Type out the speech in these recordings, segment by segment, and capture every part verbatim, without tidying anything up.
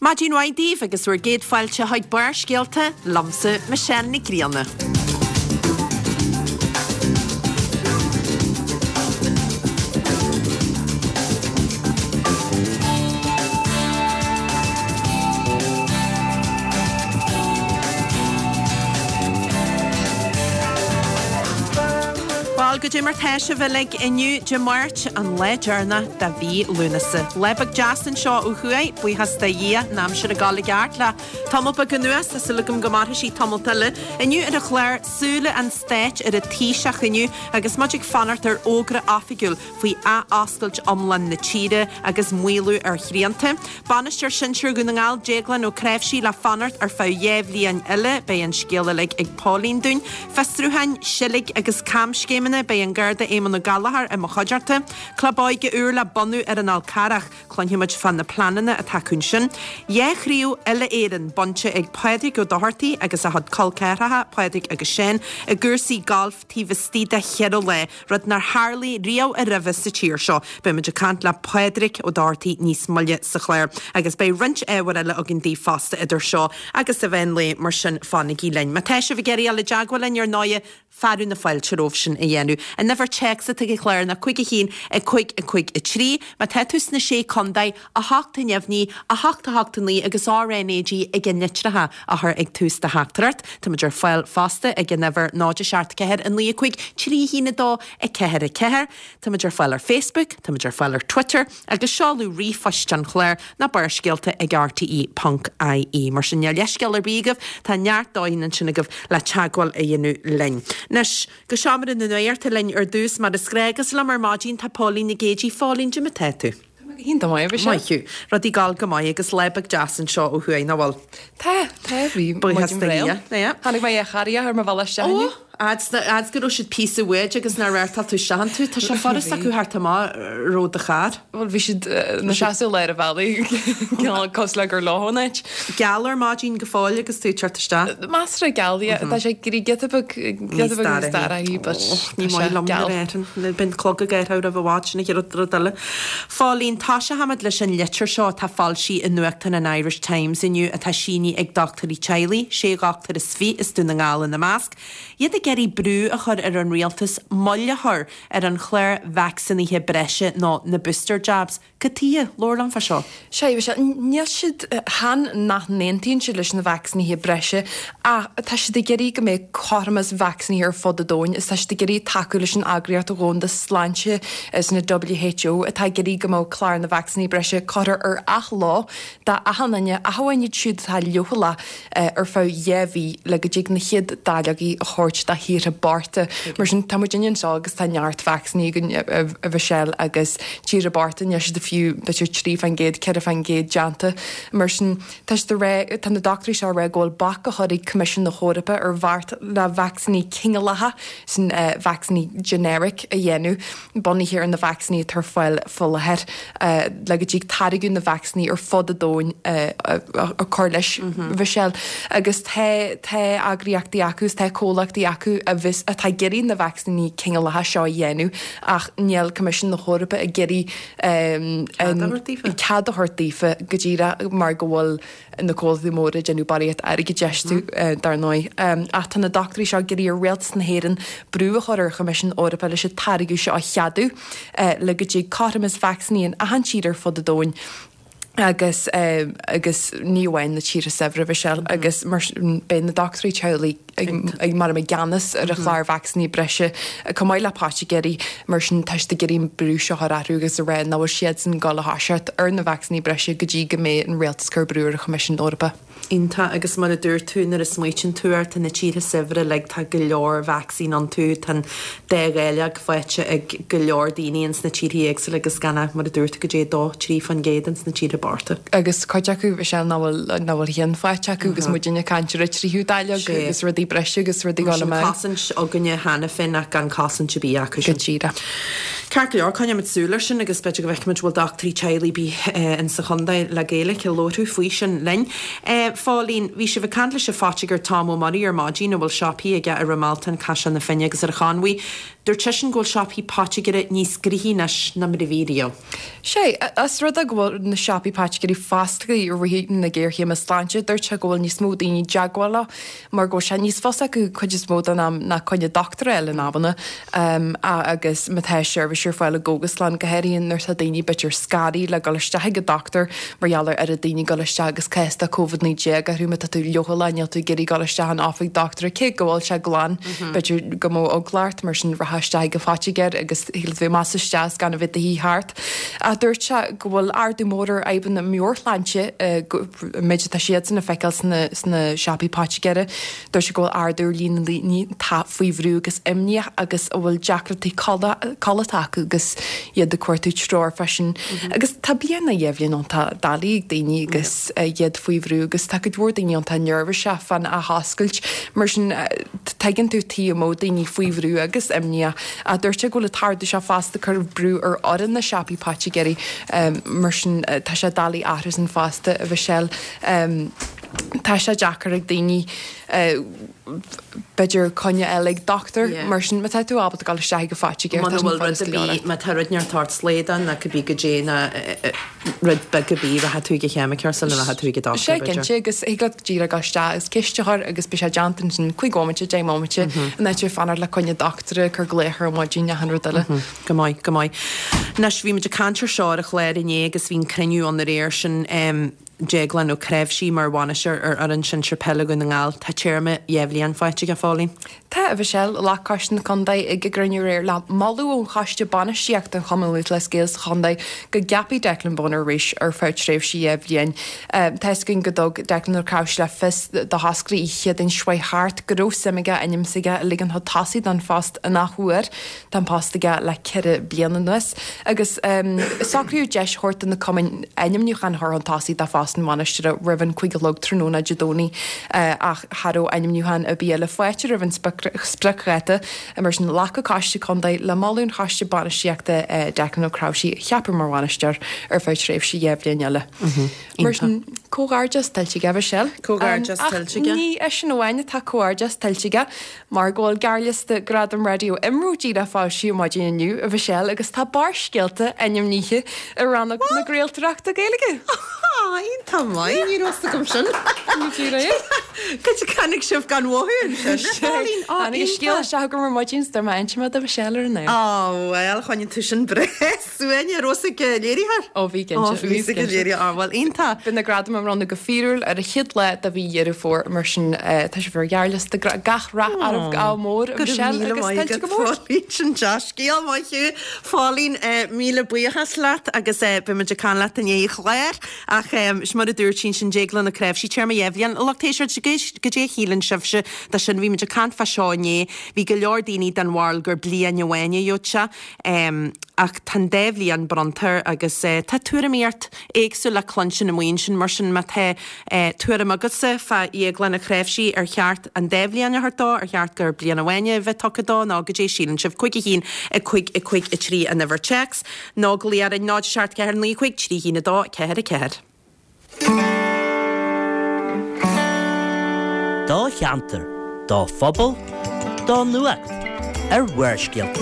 Maidin mhaith daoibh agus bhur gcéad fáilte chuig Barrscéalta liomsa Michelle Nic Grianna. Bhuel, goidé mar tá sibh uilig inniu Dé Máirt, an lá deireanach de mhí Lúnasa. Lá beag deas anseo ó thuaidh, buíochas do Dhia, an aimsir ag dul i gceart le tamall beag anuas, tá súil agam go mairfidh sí tamalt eile. Inniu ar an chlár, súile an stáit ar an Taoiseach inniu agus muid ag fanacht ar fhógra oifigiúil faoi athoscailt iomlán na tíre agus maolú ar shrianta. Bainisteoir Sinsir Dhún na nGall, Déaglán Ó Cnáimhsí le fanacht ar feadh dhá bhliain eile, beidh an scéal uilig ag Pauline dúinn. Fiosrúcháin, seilg agus camscéimeanna, beidh an Garda Éamon Ó Gallchóir i mo chuideachta. Club óige úr le bunú ar an Fhál Carrach, cluinfidh muid fá na pleananna atá acu ansin. Dhá chraobh uile-Éireann bainte ag Pádraig Ó Dochartaigh agus a chuid col ceathracha, Pádraig agus Seán, i gcúrsaí gailf taobh istigh de cheithre lá, rud nár tharlaigh riamh aroimhe sa tír seo. Beidh muid ag caint le Pádraig Ó Dochartaigh níos moille sa chlár agus beidh roinnt ábhair eile againn daoibh fosta idir seo agus an mheán lae, mar sin fanaigí linn. Má tá sibh ag iarraidh dul i dteagmháil linn ar ndóighe, fearadh na fáilte romhaibh sin a dhéanamh. An uimhir téacs atá ag an chlár ná cúig a haon, a cúig, a cúig, a trí. Má tá tú sna Sé Contae, a hocht a neamhní, a hocht a hocht a naoi agus R N A G ag an litreacha a chur ag tús do theachtaireacht. Tá muid ar fáil fosta ag an uimhir náid a seacht ceathair a naoi a cúig trí a haon a dó a ceathair a ceathair. Tá muid ar fáil ar Facebook, tá muid ar fáil ar Twitter agus seoladh ríomhphoist an chláir ná barrscéalta ag R T E ponc I E. Mar sin níl leithscéal ar bith agaibh, tá neart dóigheanna ansin agaibh le teagmháil a dhéanamh linn. Anois, go seomra na nuachta linn ar dtús, mar is gnách, agus liom ar maidin tá Póilín Nic Géidigh. Phóilín, goidé mar tá tú? Tá mé go hiontach maith, a Mhichelle. Maith thú. Rudaí ag gabháil go maith agus lá beag deas anseo ó thuaidh, nach bhfuil? Tá, tá, bhí Buíochas maidin do bhreá. Dhia. Yeah. Tháinig mé ar charraig ar mo bhealach isteach Ó, inniu. fhad go raibh siad píosa uait agus nár radharc tú isteach iontu. Tá sé furast acu theacht amach romhat do charr. Bhuel, bhí siad ina seasamh i lár an bhealaigh, cineál cosúil le gur leo an áit. Geal ar maidin go fóill agus tú ag teacht isteach. Measartha geal, yeah. Tá sé ag éirí giota beag, giota beag níos dorchaí, but Ní tá maith sé liom geal. nuair a éiríonn. Bíonn clog ag athrú roimh i bhfad, sin an chéad rud eile. Phóilín, tosóchaimid leis an litir seo atá foilsithe i nuachtán an Irish Times inniu atá sínithe ag dochtúirí teaghlaigh, sé dhochtúir is fiche as Dún na nGall ina measc. Iad ag iarraidh brú a chur ar an rialtas moill a chur ar an chlár vacsaínithe breise nó na booster jabs. Cad tuighe? Labhair liom fá seo. Sea, bhí sé, níl siad, chan nach n-aontaíonn siad leis na vacsaínithe breise ach tá siad ag iarraidh go mbeidh cothromas vacsaínithe ar fud an domhain is tá siad ag iarraidh tacú leis an Eagraíocht Dhomhanda Sláinte is na W H O atá ag iarraidh go mbeadh clár na vacsaíní breise curtha ar athló d'achan duine, ach amháin iad siúd atá leochaileach ar feadh dhá mhí le go dtig na chéad dáileogaí a thabhairt do thíortha bochta. Mar sin tá muidinne anseo agus tá neart vacsaíní againn a Mhichelle agus tíortha bochta níl siad fiú b'fhéidir trí faoin gcéad, ceithre faoin gcéad déanta. Mar sin tá siad ag rá, tá na dochtúirí seo ag rá go bhfuil bac á chur ag Coimisiún na hEorpa ar bheart le vacsaíní cineálacha, sin vacsaíní generic a dhéanamh, bunaithe ar na vacsaíní atá ar fáil faoi láthair, le go dtig táirgeadh na vacsaíní ar fud an domhain a chur leis, Mhichelle. Agus tá tá eagraíochtaí acu is tá comhlachtaí acu a bheas atá ag iarraidh na vacsaíní cineálacha seo a dhéanamh ach níl Coimisiún na hEorpa ag iarraidh Cead a thabhairt daofa? cead a thabhairt daofa go díreach mar go bhfuil na comhlachtaí móra ag déanamh barraíocht airgid astu dar ndóigh. Ach tá na dochtúirí seo ag iarraidh ar Rialtas na hÉireann brú a chur ar Choimisiún na hEorpa leis an táirgeadh seo a cheadú le go dtig cothromas vacsaíní in achan tír ar fud an domhain agus agus ní amháin na tíortha saibhre Mhichelle agus mar sin beidh na dochtúirí teaghlaigh ag ag mar i gceannas ar an chlár vacsaíní breise chomh maith le poitigéirí mar sin tá siad ag iarraidh an brú seo a chur orthu agus a rá nach bhfuil siadsan ag dul a thoiseacht ar na vacsaíní breise go dtí go mbeidh an rialtas ag cur brú ar an Choimisiún Eorpach. Iontach agus mar a dúirt tú nuair a smaoitíonn tú air tá na tíortha saibhre uilig tá go leor vacsaín iontu tá an dá dháileog faighte ag go leor daoine ins na tíortha éagsúla agus gan ach mar a dúirt tú go dtí a dó trí faoin gcéad ins na tíortha bochta. Agus cuid acu Michelle nach bhfuil nach bhfuil aon faighte acu agus muidinne ag caint ar an tríú dáileog agus rudaí breise agus rudaí Mar ag dul sin amach. cosaint againne cheana féin ach gan cosaint ar bith acu Go sin. díreach. Ceart go leor, coinneoimid súil air sin agus b'fhéidir go bhfeicfimid bhfuil dochtúirí teaghlaigh ar bith in sa chontae le Gaeilge ag labhairt faoi sin linn. Phóilín, bhí sibh ag caint leis an phoitigéir Tom Ó Muirí ar maidin a bhfuil siopaí aige ar an Mealtán, Caiseal na Finne agus ar an Chonmhaigh. Dúirt seisean go bhfuil siopaí poitigéara níos gnoithí anois ná mar a bhí riamh. Sé, as rud é go bhfuil na siopaí poitigéirí foscailte i rith na géarchéime sláinte. Dúirt sé go bhfuil níos mó daoine teagmhála mar go bhfuil sé níos fusa acu cuid is mó den am ná coinne dochtúra a fháil in amanna agus má tá seirbhís ar fáil i gcógaslann go háirithe nuair atá daoine b'fhéidir scanraithe le dul isteach ag an dochtúir mar gheall ar oiread daoine dul isteach agus cás de Covid naoi déag orthu má tá tú leochaileach níl tú ag iarraidh dul isteach in oifig dochtúra cé go bhfuil sé glan b'fhéidir go mbeadh eagla ort mar sin rachfá isteach ag an phoitigéir agus thig leat bheith amach is isteach is gan a bheith do shuí thart. Ach dúirt sé go bhfuil ardú mór ar fhadhbanna meabhairshláinte an méid atá siadsan a feiceáil sna sna siopaí poitigéara. Dúirt sé go bhfuil ardú ar líon na ndaoine atá faoi bhrú agus imníoch agus a bhfuil deacrachtaí codlata acu agus iad ag cuartú treoir freisin. Agus tá bliain nó dhá bhliain iontach doiligh ag daoine agus iad faoi bhrú agus tá cuid mhór daoine iontach neirbhíseach fán athoscailt. Mar sin tuigeann tú tuige a mbeadh daoine faoi bhrú agus imníoch. Ach dúirt sé go bhfuil an t-ardú seo fosta ag cur brú ar fhoireann na siopaí poitigéirí. Mar sin tá sé doiligh athrú sin fosta, a Mhichelle. Tá sé deacair ag daoine b'fhéidir coinne a fháil ag dochtúir mar sin má tá tú ábalta dul isteach ag an phoitigéir tá sin fada is go leor. Má tá rud inteacht ort slaghdán nó cibé goidé nó rud beag ar bith rachaidh tú ag an cheimiceoir sula rachaidh tú ag an dochtúir Sé cinnte agus thig leat díreach dul isteach agus ceist a chur agus beidh sé déanta ansin cúig bhomaite, deich mbomaite in áit fanacht le coinne dochtúra, cur glaoch ar maidin achan rud eile. Go maith, go maith. Anois bhí muid ag caint ar seo ar an chlár inné agus bhí an cruinniú ann aréir sin Déaglán Ó Creabhsí mar bhainisteoir ar fhoireann sinsir peile Dhún na nGall. Tá téarma dhá bhliain faighte aige, a Phóilín. Tá, a Mhichelle, ghlac Coiste na Contae ag a gcruinniú aréir le moladh ón Choiste Bainistíochta an Chumann Lúthchleas Gael sa chontae go gceapfaí Declan Bonner arís ar feadh tréimhse dhá bhliain. Tá fhios againn go dtug Declan Ó Creabhsí le fios do thoscairí oíche Chéadaoin seo chuaigh thart go raibh suim aige a ainm s'aige a ligean chun tosaigh don phost an athuair. Tá an post aige le ceithre bliana anuas agus socraíodh deis a thabhairt do na cumainn ainmniúchán a chur chun tosaigh do phost an bhainisteora roimh an cúig a chlog tráthnóna Dé Domhnaigh ach cha raibh ainmniúchán ar bith eile faighte roimh an spriocdháta. Mar sin, ghlac an Coiste Contae le moladh an Choiste Bainistíochta Declan Ó Creabhsí a cheapadh mar bhainisteoir ar feadh tréimhse dhá bhliain eile. Mar sin, comhghairdeas tuillte aige, Michelle. Comhghairdeas tuillte aige. Ach ní eisean amháin atá comhghairdeas tuillte aige, mar go bhfuil gearrliosta Gradam Raidió IMRO díreach foilsithe maidin inniu, a Mhichelle, agus tá Barrscéalta ainmnithe i rannóg na craoltóireachta Gaeilge. Iontach maith, ní raibh fhios agam sin. Cad a chonaic sibh gan mhothú ansin? Tháinig an scéal isteach agam ar maidin is dúirt mé inseoidh mé do Mhichelle ar an aer. Á bhuel, choinnigh tú sin breá suain, raibh fhios ag an léiritheoir? Ó bhí cinnte. Ó bhí fhios ag an léiritheoir, á bhuel iontach. Beidh na gradaim á mbronnadh go fíorúil ar an chéad lá de mhí Dheireadh Fómhair, mar sin tá sibh ar ghearrliosta gach rath oraibh ádh mór a Mhichelle agus tuillte go mór. Phóilín, sin dea-scéal, maith thú. Phóilín, míle buíochas leat agus beidh muid ag caint leat i ndiaidh an chláir ach is mar a dúirt sí ansin Déaglán Ó Creabhsí, téarma dhá bhliain. Lucht éisteachta, goidé a shíleann sibhse de sin? Bhí muid ag caint fá seo inné. Bhí go leor daoine den bharúil gur bliain amháin a gheobhadh sé. Ach tá an dá bhliain bronnta air agus tá tuairimíocht éagsúil le cluinstin amuigh ansin. Mar sin má tá tuairim agatsa fá Dhéaglán Ó Creabhsí, ar cheart an dá bhliain a thabhairt dó, ar cheart gur bliain amháin a bheith tugtha dó nó goidé a síleann sibh? Cúig a haon, a cúig, a cúig, a trí an uimhir téacs nó glaoigh orainn, náid seacht ceathair naoi cúig trí haon a dó ceathair a ceathair. Do cheantar, do phobal, do nuacht ar Bharrscéalta.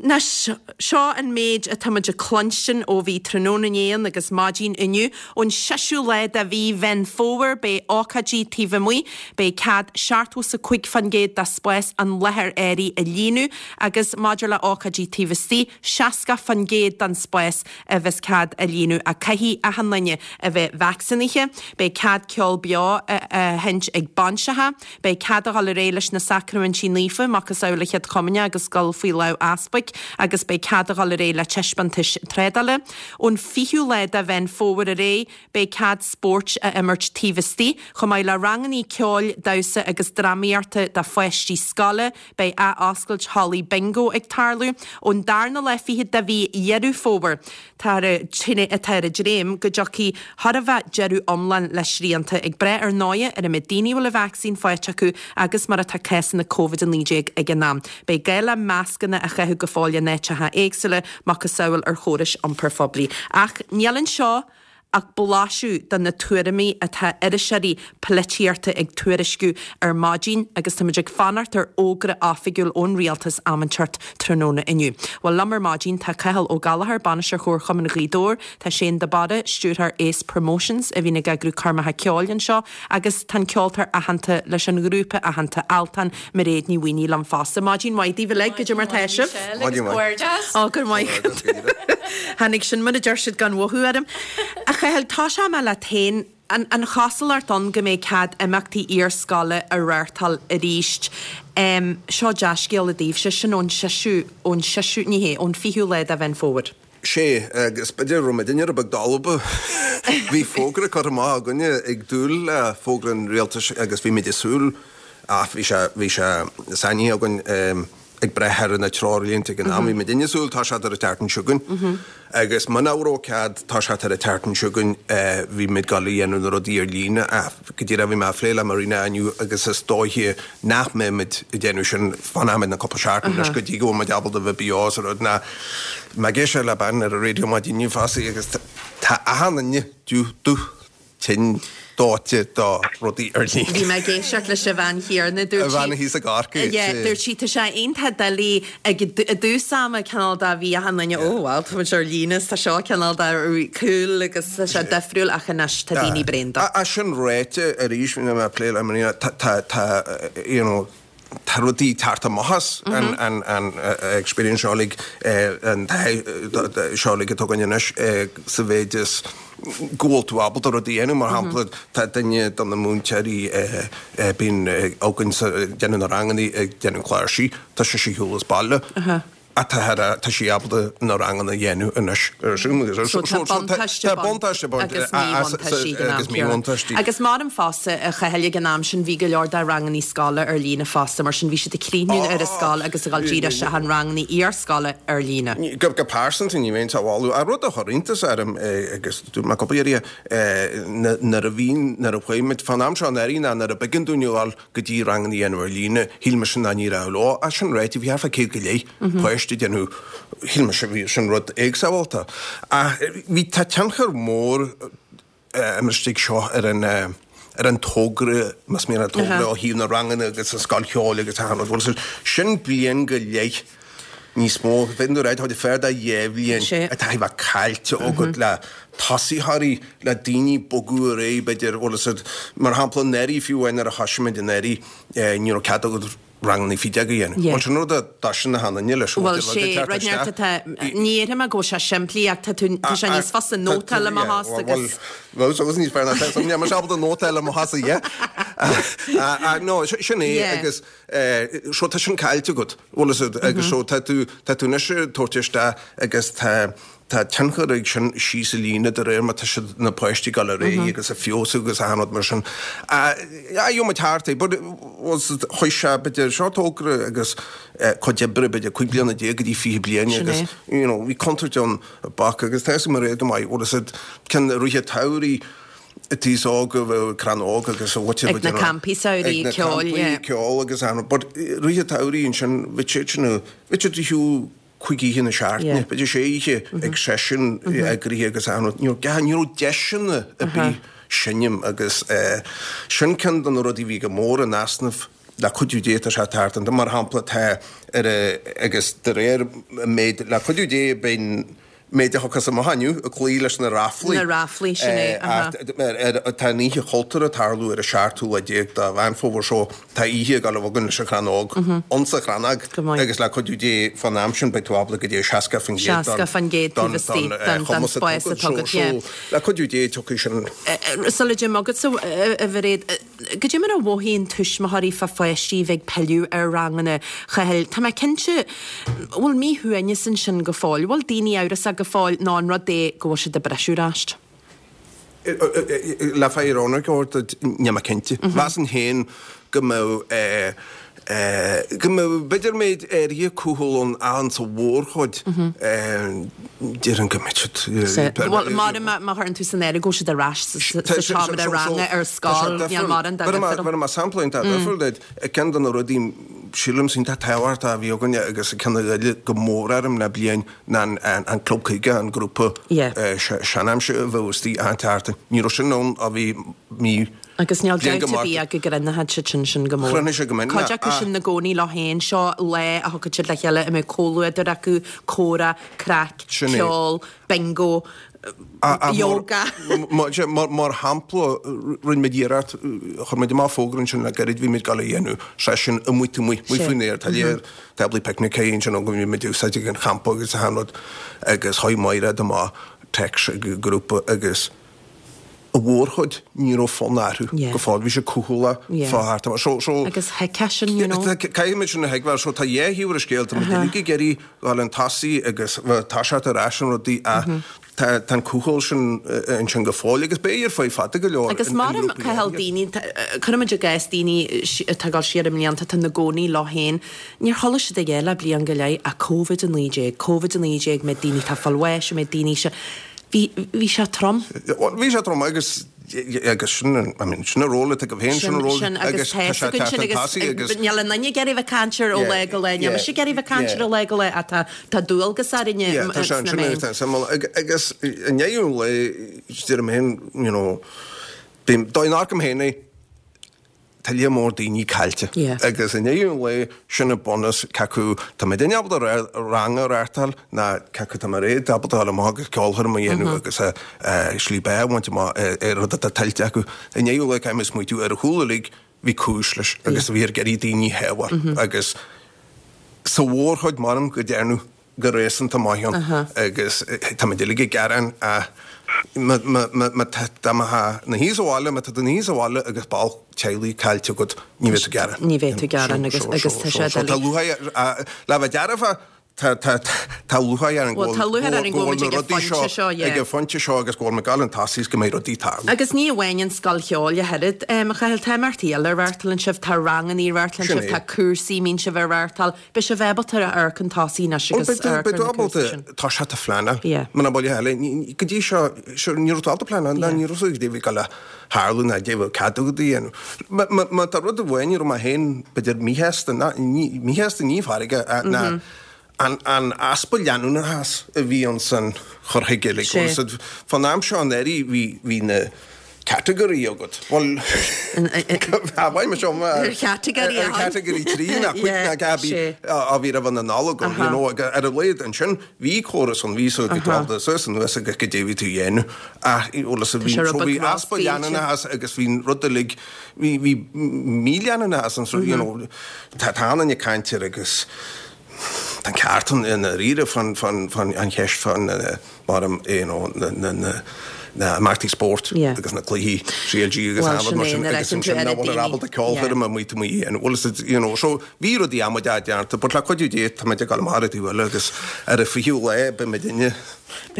Anois, seo an méid atá muid ag cluinstin ó bhí tráthnóna inné ann agus maidin inniu. Ón seisiú lá de mhí Mheán Fómhair beidh ócáidí taobh amuigh, beidh cead seachtó is a cúig faoin gcéad de spás an láthair áirithe a líonadh agus maidir le ócáidí taobh istigh, seasca faoin gcéad den spás a bheas cead a líonadh ach caithfidh achan duine a bheith vacsaínithe. Beidh cead ceol beo a sheinnt ag bainseacha. Beidh cead a dhul ar aghaidh leis na sacraimintí naofa, macasamhail an Chéad Chomaoineach agus dul faoi lámh easpaig agus beidh cead a dhul ar aghaidh le taispeántais trádála. Ón fichiú lá de Mheán Fómhair ar aghaidh beidh cead spóirt a imirt taobh istigh, chomh maith le rangannaí ceoil, damhsa agus drámaíochta do pháistí scoile. Beidh ath-oscailt hallaí bingo ag tarlú ón darna lá fichead de mhí Dheireadh Fómhair. Tá atá ar an dréim go dtiocfaidh chóir a bheith deireadh iomlán le srianta, ag brath ar ndóighe ar an méid daoine a bhfuil an vacsaín faighte acu agus mar atá cásanna Covid a naoi déag ag an am. Beidh gá le mascanna a chaitheamh go fóill in áiteacha éagsúla, macasamhail ar chórais iompair phoiblí. Ach níl anseo ach blaiseadh de na tuairimí atá iriseoirí polaitíochta ag tuairisciú ar maidin agus táimid ag fanacht ar fhógra oifigiúil ón rialtas am inteacht tráthnóna inniu. Bhuel liom ar maidin tá Cathal Ó Gallchóir, Bainisteoir Chomharchumann Ghaoth Dobhair, tá Shane de Barra, Stiúrthóir Ace Promotions a bhíonn ag eagrú coirmeacha ceoil anseo agus tá an ceoltóir aitheanta leis an ghrúpa aitheanta Altan, Mairéad Ní Mhaonaigh liom fosta. Maidin mhaith daoibh uilig, goidé mar tá sibh? Maidin mhaith. Ó go maith. Tháinig sin mar a deir siad gan mhothú orm. A Chathail, tosóidh mé leat féin. An, an chosúlacht ann go mbeidh cead imeachtaí iarscoile a reáchtáil arís. Um, seo dea-scéal daoibhse sin ón seisiú ón seisiú ní hé ón fichiú lá de Mheán Fómhair. Sé agus b'fhéidir raibh muidinne rud beag dalba. Bhí fógra curtha amach againne ag dúil le fógra an rialtais agus bhí muid ag súil ach bhí sé bhí sé sainithe againn um, ag breith ar na treoirlínte ag an am. Bhí muidinne ag súil tá sé ar an tseachtain seo chugainn. Agus muna raibh cead tá sé ar an tseachtain seo chugainn bhí muid ag gabháil a dhéanamh na rudaí ar líne go díreach bhí mé ag plé le Marina inniu agus is dóiche nach mbeimid ag déanamh sin fanfaimid na cúpla seachtain leis go dtí go bhfuil muid ábalta bheith beo sa rud ná mé ag éisteacht le bean ar an raidió maidin inniu fosta agus tá achan duine dubh tinn dóite do rudaí ar líne. Bhí mé ag éisteacht leis an bhean chéanna dúirt A bhean thíos i gCorcaigh. Yeah, dúirt sí tá sé iontach doiligh ag i dtús ama cineál de bhí achan duine ó well tá muid ar líne tá seo cineál de cool agus tá sé difriúil ach anois tá daoine bréan de. A sin ráite arís bhí mé ag plé le Marina tá tá tá you know tá rudaí ag teacht amach as an an an experience seo uilig an taithí seo uilig atá againn anois sa mhéid is go bhfuil tú ábalta rudaí a dhéanamh mar shampla tá duine de na múinteoirí bíonn againn sa déanamh na ranganna ag déanamh cláirsí tá sé ar shiúl as baile. Tá tá sí ábalta na ranganna a dhéanamh anois ar Zoom agus So tá buntáiste Tá buntáiste baint agus míbhuntáistí ag an am agus céanna. míbhuntáistí. Agus mar an fosta a Chathail ag an am sin bhí go leor de ranganna scoile ar líne fosta mar sin bhí siad ag críochnú ar an scoil agus ag dul díreach isteach an ranganna iarscoile ar líne. Go go pearsanta ní bheinn sa bhaile a rud a chuir iontas orm agus dúirt mé cúpla iarraidh nuair a bhí nuair a chuaigh muid fán am seo anuraidh ná nuair a b'éigean dúinn a ghabháil go dtí ranganna a dhéanamh ar líne shíl mise ná ní raibh leo ach sin ráite bhí thart fá céad go leith páiste ag déanamh shíl mise bhí sin rud éagsamhalta. Ach bhí tá tionchar mór istigh seo ar an ar an togra más mian an togra ó thaobh na ranganna agus an scoil cheoil agus achan rud. Bhuel, sin bliain go leith níos mó bheith nó ráit fear de dhá bhliain Sé. atá a bheith caillte agat le tosaitheoirí le daoine bogadh ar aghaidh b'fhéidir bhfuil fhios agat mar shampla anuraidh fiú amháin nuair a thosaigh muid anuraidh ní raibh cead agat ranganna faoi déag a dhéanamh. Yeah. Bhuel sin rud a d'fhaisean na hanainne leis Bhuel sé rud neart atá ní fhéadfaidh mé go bhfuil sé simplí ach tá tú tá sé níos fusa nótáil i mo thost agus Well, so níos fearr ná ní mar ábalta nótáil i mo thost yeah. No sin é Yeah. agus so tá sin caillte agat bhfuil fhios agat agus so tá tú tá tú anois tabhairt isteach agus tá tá tionchar ag sin síos i líne de réir mar tá siad na páistí ag dul ar aghaidh agus a feabhsú agus achan rud mar sin. Gheobhaidh muid thart é, but was chuaigh sé b'fhéidir seo togra agus cuid oibre b'fhéidir cúig bliana déag go dtí fiche bliain Sin agus é. you know, bhí contúirt ann bac agus tá mar é go maith bhfuil fhios agat ceann ríthe tairí tíos óg a bheith crann óg agus a bhute Ag na campaí samhraidh ceoil, yeah. ceol agus an but ríthe tairí ansin bhí siad sin bhí siad shiúl chuig oíche na seachtaine, Yeah. b'fhéidir sé oíche ag seisiún eagraithe agus an ní raibh ní raibh deiseanna ar bith seinm agus eh, sin ceann de na rudaí bhí go mór in easnamh le cuidiú Dé tá sé thart an mar shampla tá ar a- agus de réir méid le cuidiú Dé beidh méid a thugas amach inniu ag cloí leis na ráflaí. Na ráflaí, sin é, Eh, aha. ach ar- ar- Tá an oíche chultúir ag tarlú ar an seachtú lá déag de Mheán Fómhair seo tá oíche ag dul a bheith againn leis an Chrann Óg ionsa Chrannóg Go maith. agus le cuidiú Dé fán am sin beidh tú ábalta go dtí seasca faoin gcéad Seasca faoin gcéad taobh istigh den- den spás atá agat, yeah. Le cuidiú Dé tiocfaidh sin Sula dtéim agatsa a Mhairéad, goidé mar a mhothaíonn tuismitheoirí fá pháistí bheith ag pilleadh ar ranganna Chathail. Tá mé cinnte bhfuil míshuaimhneas ansin go fóill, bhfuil daoine amhrasach go fóill ná an rud é go bhfuil siad ag briseadh ar ais. Le bheith ionraic níl mé cinnte. Mheasfainn féin go mbeadh go mbeadh b'fhéidir méid áirithe cúthail ann an sa mhórchuid déarfainn go mbeidh siad Well mar má chuireann tú san áireamh go bhfuil siad ar ais sa seomra ranga ar scoil níl mar an Mar mar sampla iontach difriúil duit ceann de na rudaí sílim iontach tábhachtach a bhí againne agus ceann a ghoill go mór orm le bliain ná an Club Caoga, an grúpa seanaimsire a bheadh istigh achan tseachtain. Ní raibh sin ann ó bhí mí Agus níl dabht ar bith ach go gcruinneochadh siad sin sin go mór. Chruinnigh sé go minic. Cuid acu sin 'na gcónaí leo féin, seo lá a thiocfadh siad le chéile a mbeadh comhluadar acu, comhrá, craic, ceol, bingo, yoga. Mar shampla, rinne muid iarracht, chuir muid amach fógra ansin le gairid, bhí muid ag dul a dhéanamh seisiún amuigh taobh amuigh, amuigh faoin aer, tá léir táblaí picnice ansin ó go bhí muid ag úsáid ag an champa agus achan rud agus chuaigh Máiréad amach téacs ag an grúpa agus a mhórchuid ní raibh fonn orthu go fóill, bhí siad cúthalach fá thart amach. So, so. Agus thuigfeá sin, you know. Caithfidh muid sin a thuigbheáil. So tá dhá thaobh ar an scéal, tá muid uilig ag iarraidh dhul chun tosaigh agus bheith toiseacht ar ais an rudaí ach tá tá an cúthail sin ansin go fóill agus beidh ar feadh fada go leor Agus mar a Cathal daoine, cuirimid i gcás daoine atá ag dul siar i mblianta atá ina gcónaí leo féin, níor chuala siad a dhath le bliain go leith ach Covid a naoi déag, Covid a naoi déag, mbeidh daoine atá ag fáil bháis, mbeidh daoine seo. Bhí, bhí sé trom. Bhuel, bhí sé trom agus, agus sin an, I mean, sin an ról atá agaibh féin, sin an ról Sin, agus tá fhios againn sin agus agus níl aon duine ag iarraidh bheith ag caint air ó lá go lá, níl mise ag iarraidh bheith ag caint air ó lá go lá ach tá, tá dualgas orainne Yeah, tá sé sna ansin meáin. agus tá suimiúil. Agus i ndeireadh an lae, deirim féin, you know, bím, dá n-amharcaim féin é, Tá lear mór daoine caillte agus i ndeireadh an lae sin an bunús cé acu tá muidinne ábalta rang a reáchtáil ná cé acu tá Mairéad ábalta dul amach agus ceolchoirm a dhéanamh agus slí beatha a bhaint amach ar rud atá tuillte acu. I ndeireadh an lae caithfidh muid smaoitiú ar a chúl uilig bhí cúis leis agus bhí ar ag iarraidh daoine a shábháil agus sa mhórchuid measaim go ndearnadh go réasúnta maith ann agus táimid uilig ag gearán ach má tá tú ina shuí sa bhaile, má tá tú ina shuí sa bhaile agus ball teaghlaigh caillte agat, ní bheidh tú ag gearán. Ní bheidh tú ag gearán agus agus tá sé doiligh. Tá lúcháir, le bheith dearfa, tá tá tá lúcháir orainn go Bhuel, tá lúcháir orainn go go bhfuil bhfuil muid na ag an rudaí phointe seo seo, yeah. ag an phointe seo agus go bhfuil muid ag dul chun tosaigh is go mbeidh rudaí ag tarlú. Agus ní amháin an scoil cheoil ach oiread, a Chathail, tá imeachtaí eile a reáchtálann sibh, tá ranganna a reáchtálann Sin sibh, é. tá cúrsaí a mbíonn sibh a reáchtáil. Beidh sibh ábalta a amharc chun tosaigh anois Bhuel, agus beidh tú, amharc beidh ar tú na ábalta cúrsaí sin. toiseacht a phleanáil. Yeah. Muna bhfuil a thuilleadh, ní, ní, go dtí seo, sure, ní raibh tú ábalta pleanáil, ná Yeah. ní raibh a fhios agat caidé a bhí ag dul a tharlú ná caidé a bheadh cead agat a dhéanamh. Má, má, má tá rud amháin a raibh mé féin, b'fhéidir míshásta, ná, ní, míshásta ní farraige, ach ná an, an easpa leanúnachas a bhí ann san chur chuige, like, Sea. bhfuil a fhios agat, fán am seo anuraidh bhí, bhí na category agat. Bhuel, bhain mé seo Ar chategory ar category trí ná cúig ná dhá bhí a bhí roimh an Nollaig ann, you know, ar a laghad ansin bhí córas ann, bhí so go dtráth suas anuas agus caidé a bhí tú a dhéanamh. Ach bhuel is bhí sé so bhí rud easpa leanúnachas agus bhí rud uilig bhí bhí míleanúnachas ann so you know tá tá an-chuid caint air agus tá an ceart ann i ndáiríre fán fán fán an cheist fán mar you know na na na na imeachtaí spóirt agus na cluichí C L G agus Bhuel, an sin rud mar é, sin nuair a agus fheiceann tú ansin oiread nach bhfuil daoine. ábalta ceolchoirm amuigh taobh amuigh a dhéanamh. Bhuel, is you know, so bhí rudaí amaideach déanta, but le cuidiú Dé tá muid ag dul amach ar an taobh eile agus ar an fichiú lá beidh muidinne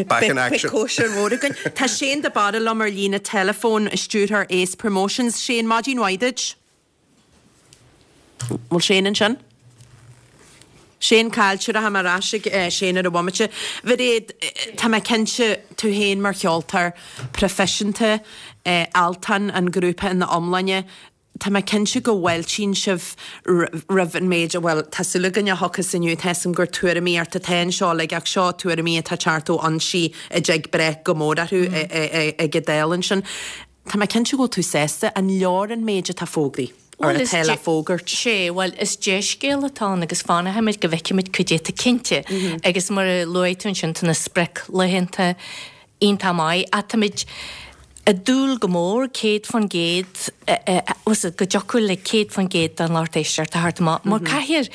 back in Beidh action. cóisir mhór againn. Tá Shane de Barra liom ar líne teileafóin, stiúrthóir Ace Promotions. Shane, maidin mhaith duit. Bhfuil Shane ansin? Shane caillte rachaidh mé ar ais ag Shane ar an bhomaite. Mhairéad, tá mé cinnte tú féin mar cheoltóir proifisiúnta, Altan, an grúpa ina iomláine, tá mé cinnte go bhfáiltíonn sibh roimh an méid, bhuel, tá súil againn a thiocfas inniu, tá 'fhios a'm gur tuairimíocht atá anseo like ach seo tuairimí atá ag teacht ó fhoinsí a dtig breith go mór orthu ag an Dáil ansin. Tá mé cinnte go bhfuil tú sásta, an leor an méid atá fógraithe? Or Bhuel, is atá le fógairt? Sé, bhuel, is dea-scéal atá ann agus fanfaimid go bhfeicfimid cad é atá cinnte. Agus mar a luaigh tú ansin, tá na sprioclaethanta iontach maith ach táimid ag dúil go mór céad faoin gcéad, go dtiocfadh le céad faoin gcéad den lucht éisteachta a theacht amach. Mar caithfidh,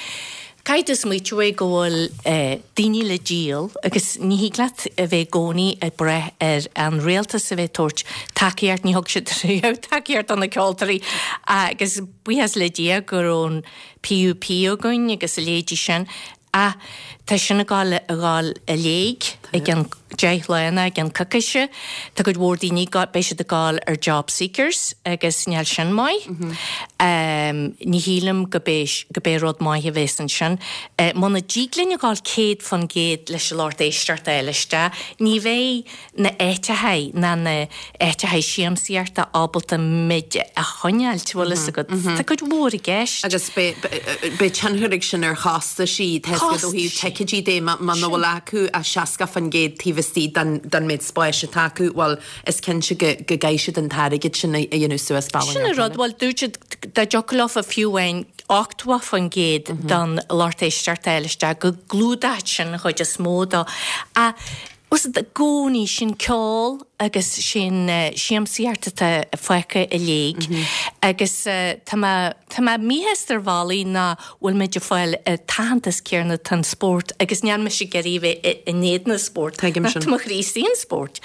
Caithfidh tú smaoitiú é go bhfuil daoine le díol agus ní thig leat a bheith i gcónaí ag brath ar an rialtas a bheith ag tabhairt tacaíocht, ní thug siad riamh tacaíocht do na ceoltóirí agus buíochas le Dia go raibh an P U P againn agus a leithéidí sin ach Tá sin ag gabháil a ghabháil i léig i gceann deich lá nó i gceann coicíse. Tá cuid mhór daoine beidh siad ag gabháil ar job seekers agus níl sin maith. Ní shílim go go b'é rud maith a bheas ansin. Muna dtig linn a ghabháil céad fan gcéad leis an lucht éisteachta a fháil isteach, ní bheidh na áiteachaí ná na áiteachaí siamsaíochta ábalta muid a choinneáilt, bhfuil fhios agat. Tá cuid mhór i gceist. Agus beidh tionchar ag sin ar chostaisí, tá fhios agat ó thaobh ticéidí de, muna bhfuil acu ach seasca fan gcéad taobh istigh den méid spáis atá acu, bhuel, is cinnte go gcaithfidh siad an t-airgead sin a dhéanamh suas bealach Sin an rud, bhuel, dúirt siad dá dtiocfadh leofa fiú amháin ochtó fan gcéad den lucht éisteachta a fháil isteach, go gclúdódh sin an chuid is mó dó. Ach bhfuil fhios agat, i gcónaí sin ceol agus sin siamsaíocht atá fágtha i léig agus tá mé tá mé míshásta ar bhealaí nach bhfuil muid ag fáil an t-aitheantas céanna atá an spórt agus níl mise ag iarraidh a bheith in éadan an spóirt. Tuigim sin. Tá mo chroí istigh an spórt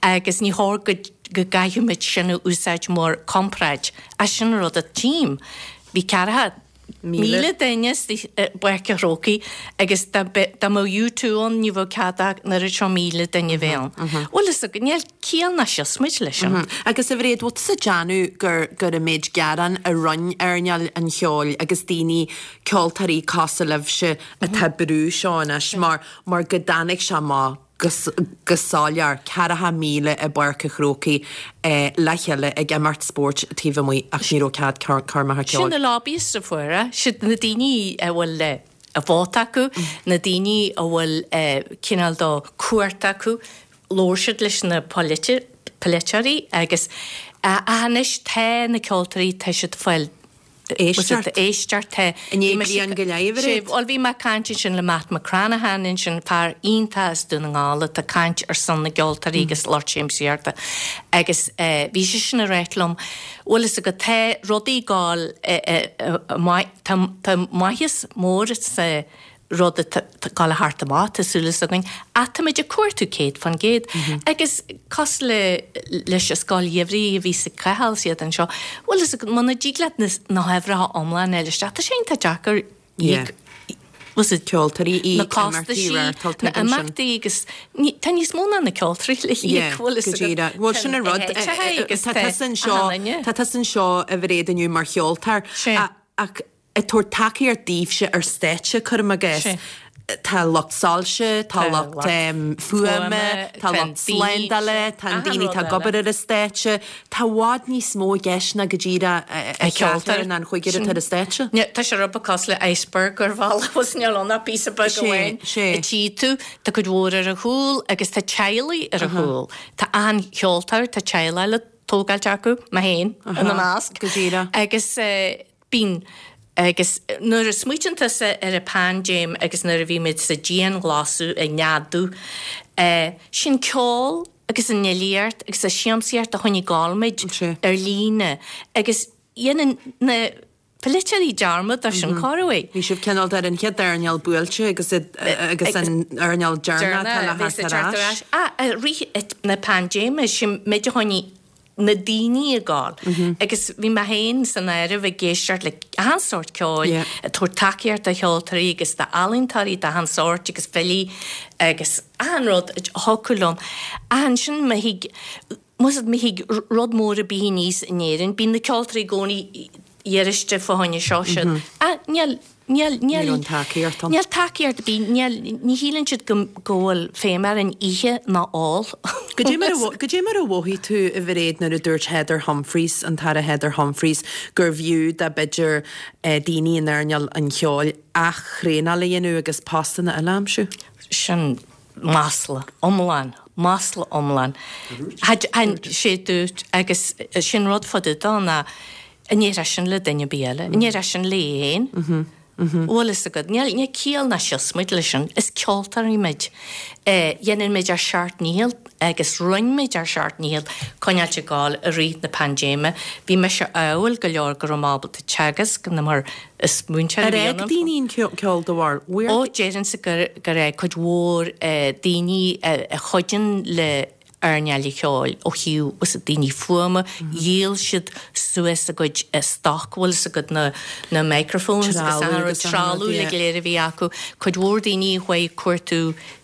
agus ní chóir go go gcaithfidh muid sin a úsáid mar comparáid. Ach sin an rud a tchím. Bhí ceathracha míle duine i bPáirc an Chrócaigh agus dá mbeadh U two ann ní bheadh cead ach an oiread seo míle duine bheith ann. Bhfuil fhios agat, níl ciall ná siosmaid leis sin. Agus a Mhairéad, bhfuil tusa ag déanamh gur gur an méid gearán a rinne earnáil an cheoil agus daoine, ceoltóirí cosúil libhse atá ag brú seo anois mar mar go dtáinig sé amach go go soiléir, ceathracha míle i bPáirc an Chrócaigh le chéile ag imirt spóirt taobh amuigh ach ní raibh cead coirmeacha ceoil. Sin na lobbyists a fuair é, siad na daoine a bhfuil a vóta acu, na daoine a bhfuil cineál de cumhacht acu, labhair siad leis na polaiteoirí agus anois tá na ceoltóirí, tá siad ag fáil Éisteacht. Éisteacht. I ndiaidh bliain go leith, a Mhairéad. Bhuel, bhí mé ag caint ansin le Matt McCranaghan ansin, fear iontach as Dún na nGall atá ag caint ar son na gceoltóirí agus lucht siamsaíochta agus bhí seisean ag ráit liom, bhfuil fhios agat, tá rudaí ag gabháil tá maitheas mór sa rud atá ag gabháil a theacht amach, tá súil againn, ach táimid ag cuartú céad fan gcéad. Agus cosúil le leis an scoil gheimhridh a bhí sa Cathal is iad anseo, bhfuil fhios agat, muna dtig leat na huimhreacha iomlána a fháil isteach, tá sé iontach deacair Yeah. was it Ceoltóirí, na íoc, imeachtaí, costaisí, reáchtáil, na tuigim sin. imeachtaí agus ní, tá níos mó ná na ceoltóirí le híoc, Yeah, bhfuil fhios go agat. díreach. Bhuel, sin an rud. Tá agus Tá tá tusa anseo, achan duine. tá tusa anseo a Mhairéad inniu mar cheoltóir. Sea. Ach ag tabhairt tacaíocht daoibhse ar stáitse, cuirim i gcás. Sea. Tá lucht soilse, tá Tá lucht lucht fuaime, fuaime, tá tá lucht daoine, slándála, tá achan daoine rud atá ag eile. obair ar an stáitse. Tá i bhfad níos mó i gceist ná go díreach an ceoltóir. cheathrar nó an chúigear atá ar an stáitse. Ní, tá sé rud beag cosúil le iceberg ar bhealach, bhfuil níl ann ach píosa beag Sé, amháin. sé. A tchí tú, tá cuid mhór ar a chúl agus tá teaghlaigh ar a chúl. Tá an cheoltóir, tá teaghlaigh le tógáilt acu, mé féin, ina measc. Go díreach. Agus bíonn agus nuair a smaoitíonn tusa ar an bpaindéim agus nuair a bhí muid sa dianghlasáil ag neadú, sin ceol agus an fhilíocht agus an siamsaíocht a choinnigh ag gabháil muid ar líne agus dhéanann na polaiteoirí dearmad de sin corruair. Bhí sibh cineál ar an chéad earnáil buailte agus agus an earnáil deireanach atá le theacht ar ais. Ah, i rith na paindéime sin muid a choinnigh na daoine ag gabháil. Agus bhí mé féin san áireamh ag éisteacht le achan sórt ceoil, ag tabhairt tacaíocht do cheoltóirí agus d'ealaíontóirí d'achan sórt agus filí agus achan rud a thiocfadh liom. Ach ansin má thig, más má thig rud mór ar bith aníos in Éirinn, bíonn na ceoltóirí i gcónaí iarraiste fá choinne seo siúd. Ach níl, níl, níl, Níl an tacaíocht ann. Níl tacaíocht ar bith, níl, ní shíleann siad go, go bhfuil feidhm ar an ithe ná ól. Goidé mar a mho- goidé mar a mhothaigh tú a Mhairéad nuair a dúirt Heather Humphreys, an tAire Heather Humphreys, gurbh fhiú dá b'fhéidir eh, daoine in earnáil an cheoil ath-thraenáil a dhéanamh agus postanna eile a aimsiú? Sin masla iomlán, masla iomlán. Had, an, sé dúirt agus sin rud fá dtaobh dó ná an ndéarfá sin le duine ar bith eile, an ndéarfá sin léi féin. Bhfuil fhios agat, níl níl ciall ná siosmaid leis sin, is ceoltóirí muid. Dhéanann muid ár seacht ndícheall agus rinne muid ár seacht ndícheall coinneáilt ag gabháil i rith na paindéime. Bhí mise ádhúil go leor go raibh mé ábalta teagasc na mar is múinteoir Ar a bhí fhág ionam. daoine an ceol de bharr? Ó, déarfainnse gur gur cuid mhór daoine a chuidíonn le earnáil an cheoil ó thaobh was daoine fuaime, dhíol siad suas a gcuid stoc bhfuil a gcuid na na microphones agus Trealamh trealamh le go léir a bhí acu, cuid mhór daoine a chuaigh ag cuartú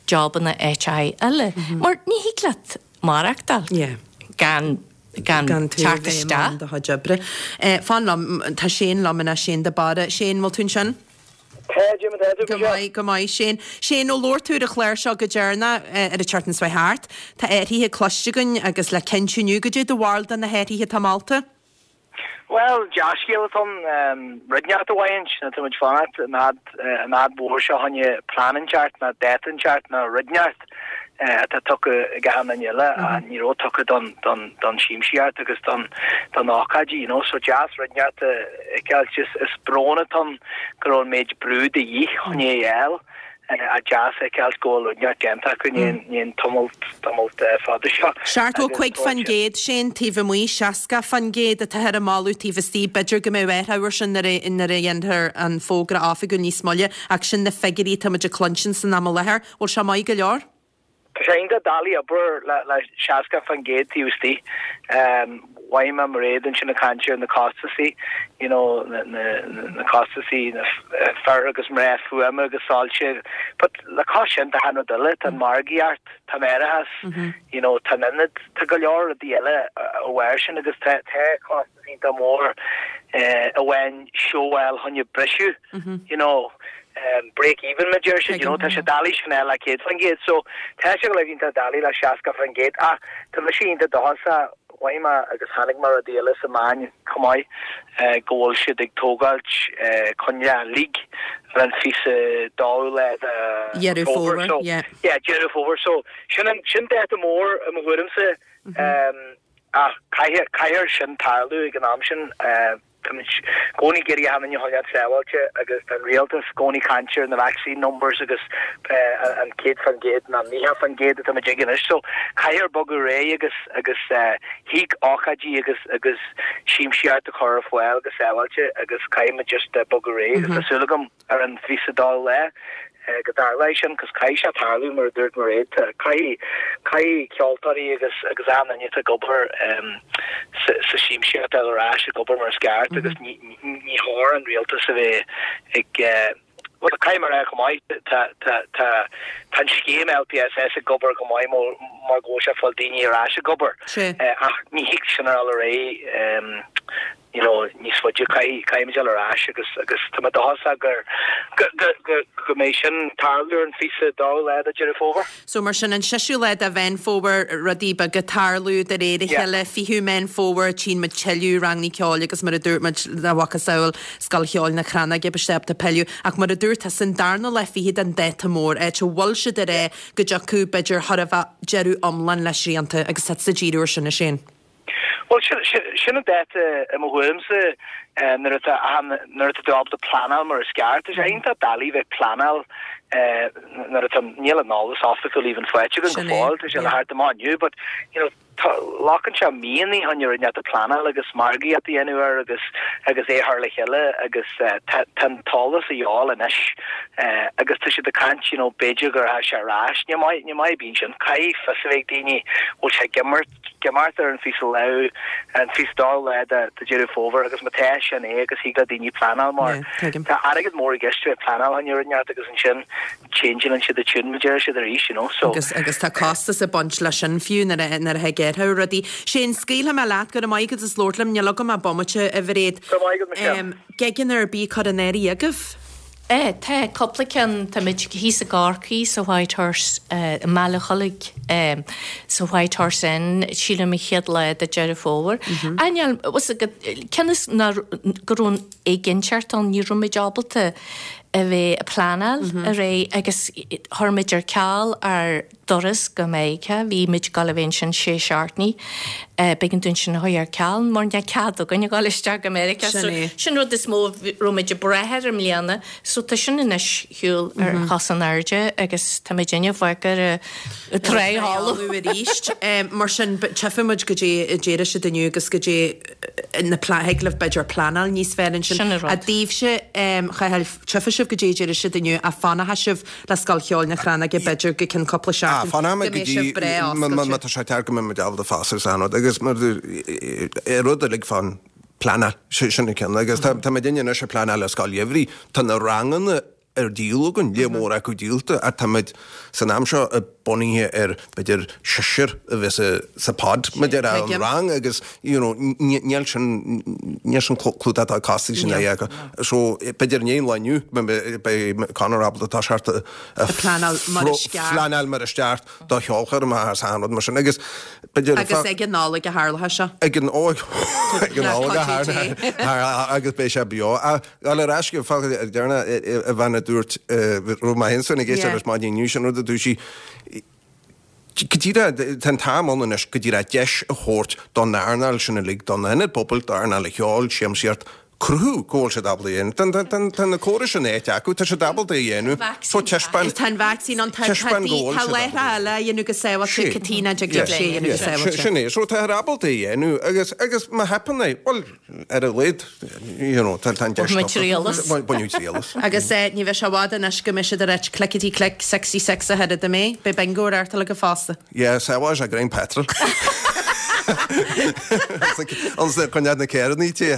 jobanna áiteacha eile. Mar ní thig leat maireachtáil gan gan gan tú teacht bheith i isteach. mbun do chuid oibre. Eh, Fan liom, tá Shane liom ina Shane de Barra. Shane, bhfuil tú ansin? Tá, Jim, tá tú Go maith, go maith, Shane. Shane, ó labhair tú ar an chlár seo go deireanach eh, ar an tseachtain seo thart. Tá athruithe cloiste againn agus le cinntiú inniu goidé do bharúil de na hathruithe atá molta? Well, dea-scéal atá ann rud inteacht a bhaint na tá muid fanacht an fhadhb mhór seo tháinig plean inteacht ná dáta inteacht ná rud inteacht atá tugtha ag achan duine eile a ní raibh tugtha don don don siamsaíocht agus don don ócáidí, you know, so deas rud inteacht a fheiceáil is is brón atá ann go raibh an méid brú de dhíth chun é a fháil. A deas fheiceáil go bhfuil rud inteacht déanta acu ní an tamall tamall fada seo. Seachtó cúig faoin gcéad Shane taobh amuigh seasca faoin gcéad atá ar an moladh taobh istigh b'fhéidir go mbeidh athrú sin nuair a nuair a dhéantar an fógra oifigiúil níos moille ach sin na figiúirí tá muid ag cluinstin san am i láthair. Bhfuil sé maith go leor? Tá sé iontach doiligh obair le le seasca faoin gcéad taobh istigh. Um, Mhaígh mé Mairéad ansin ag caint ar na costasaí, you know, na, na, na costasaí na fear agus mná fuaime agus soilse. But le cos sin tá an rud eile, tá an margaíocht, tá an árachas, you know, tá an ionad, tá go leor rudaí eile a bhain sin agus tá tá costas iontach mór eh, a bhain seoáil chun briseadh, you know, um, break even mar deir siad, you know, tá sé doiligh sin le céad faoin gcéad, so tá sé go iontach doiligh le seasca faoin gcéad ach tá mise iontach dóchasach mhaith mé agus tháinig mar rudaí eile sa meáin chomh maith eh, go bhfuil siad ag tógáilt eh, coinne league ar an fiche dóú lá de Deireadh Fómhair, so, yeah. yeah, Deireadh Fómhair so sin an sin dáta mór i mo thuairimse um, ach caithfidh caithfidh sin tarlú ag an am sin uh, Táimid i gcónaí ag iarraidh achan duine a choinneáil sábháilte agus tá an rialtas i gcónaí ag caint ar na vaccine numbers agus uh, an céad faoin gcéad ná naocha faoin gcéad atá muid ag anois so caithfear bogadh réidh agus agus uh, thig ócáidí agus agus siamsaíocht a chur ar fáil agus sábháilte agus caithfidh just uh, bogadh réidh agus tá súil agam ar an fiche dóú lá eh, go dtarlóidh sin cos caithfidh sé tarlú mar dúirt Mairéad caithfidh caithfidh ceoltóirí agus agus achan duine ag obair um, sa sa siamsaíocht ar ais ag obair mar is ceart agus ní ní ní chóir an rialtas a bheith ag uh, Well, caithfidh mé go maith tá tá tá tá an scéim LPSS ag obair go maith mar mar go bhfuil sé fáil daoine ar ais ag obair. Sé. Eh, ach ní thig sin ar réidh um, you know, níos faide caithfimid ar ais agus agus tá mé dóchasach gur go go go go mbeidh sin tarlú an fiche dóú lá de Deireadh Fómhair. So mar sin an seisiú lá de Mheán Fómhair rudaí beaga ag tarlú de réir a Yeah. chéile fichiú Meán Fómhair tchíonn muid tuilleadh ranganna ceoil agus mar a dúirt muid le macasamhail Scoil Cheoil na Crannóige beidh pilleadh ach mar a dúirt san darna lá fichead an dáta mór é a bhfuil siad ar é go dtiocfaidh b'fhéidir thar a bheith deireadh iomlán le srianta agus tá sa díriú ar sin a sin. Well sin sin sin an dáta i mo thuairimse eh, nuair atá an nuair atá tú ábalta pleanáil mar is ceart. Tá sé iontach doiligh bheith pleanáil eh, nuair atá níl an eolas oifigiúil even faighte againn go Sin é, fóill, tá sé le yeah. theacht amach inniu, but you know tá glacann sé míonna chun rud inteacht a pleanáil agus margaíocht a dhéanamh air agus agus é thar le chéile agus eh, tá tá an t-eolas a fháil anois eh, agus tá siad ag caint you know b'fhéidir gur tha sé ar ais ní maith ní maith bíonn sin caithfidh fios a bheith ag daoine bhfuil sé ag imeacht imeacht ar an fiche lá an fiche dóú lá de de Deireadh Fómhair agus má tá sin é agus thig le daoine pleanáil mar Yeah, tuigim. tá airgead mór i gceist le pleanáil an rud inteacht agus ansin changeann siad a tune mar deir siad arís you know so agus agus tá costas ag baint leis sin fiú nuair a nuair a ghearrtha rudaí. Sé an scaoilfidh mé leat go maith agus is labhairt liom níl agam ach bomaite a Mhairéad. Go maith agat, Michelle. Um, Gigeanna ar bith curtha in áirithe agaibh. Eh, tá cúpla ceann tá muid thíos i gCorcaigh sa White Horse uh, i mBaile Chollaigh um, sa White Horse Inn sílim an chéad lá de Deireadh Fómhair. Ainneoin cionn is ná go raibh éiginnteacht ann ní raibh muid ábalta a bheith ag pleanáil a ré agus chuir muid ar ceal ár dturas go Meiriceá, bhí muid ag gabháil a bheith ansin sé seachtainí b'éigean dúinn sin a chur ar ceal mar níl cead againn a ghabháil isteach go Meiriceá. Sin So, é. sin rud is mó raibh muid ag brath air i mbliana, so tá sin anois shiúl ar chos in airde agus tá muid inne bhfuidir tréáú. arís. Mar sin tchífimid goidé a déarfaidh siad inniu agus goidé na pla- thig libh b'fhéidir pleanáil níos fearr ansin. Sin an rud. A daoibhse chaithil tchífidh sibh sibh goidé a déarfaidh siad inniu ach fanfaidh sibh le Scoil Cheoil na Crannóige b'fhéidir go ceann cúpla Ah, seachtain fanfaidh go go mbeidh sibh dtí breá má má oscailte. tá sé ceart go mbeidh muid ábalta fás agus an rud agus mar rud uilig fán pleanáil sin an ceann agus tá tá muid anois ag pleanáil le scoil gheimhridh tá na ranganna ar díol againn lear mór acu díolta ach táimid san am seo bunaithe ar b'fhéidir seisear a bheith sa sa pod maidir an Tuigim. rang agus you know níl sin níl sin clúdach atá costas sin é acu. So b'fhéidir ní lá inniu beidh Conor ábalta tá seart a pleanáil mar is ceart. Pleanáil mar is ceart do cheolchoirm agus an rud mar sin agus b'fhéidir Agus ag an Nollaig a tharlaithe seo. ag an óg ag an óg a Cottage agus beidh sé beo. Gal ar ais go dearna a bhean a dúirt raibh mé féin ag éisteacht Yeah. leis maidin inniu sin rud a dúirt sí go díreach tá an t-am ann anois go díreach deis a thabhairt don earnáil sin uilig don ionad pobail d'earnáil an cheoil siamsaíocht cruthú go bhfuil siad ábalta a dhéanamh. Tá- tá- tá tá na córais sin áit acu, tá siad ábalta a dhéanamh. So taispeáin Tá an vacsaín ann tá Taispeáin go bhfuil tá siad leithre ábalta. eile a dhéanamh go sábháilte Sí. Caitríona ag sé a dhéanamh go sábháilte. Sin é, so tá ábalta a dhéanamh agus agus má theipeann é, well ar a laghad you know, tá tá an deis Baineadh triail as. Baineadh triail as. Agus eh, ní bheidh sé i bhfad anois go mbeidh siad ar ait clickety click sixty six a thuiread mé, Beidh bingo ar artal go fosta. Yeah, sábháil sé greim petrol. Ans chun na céarnaí tí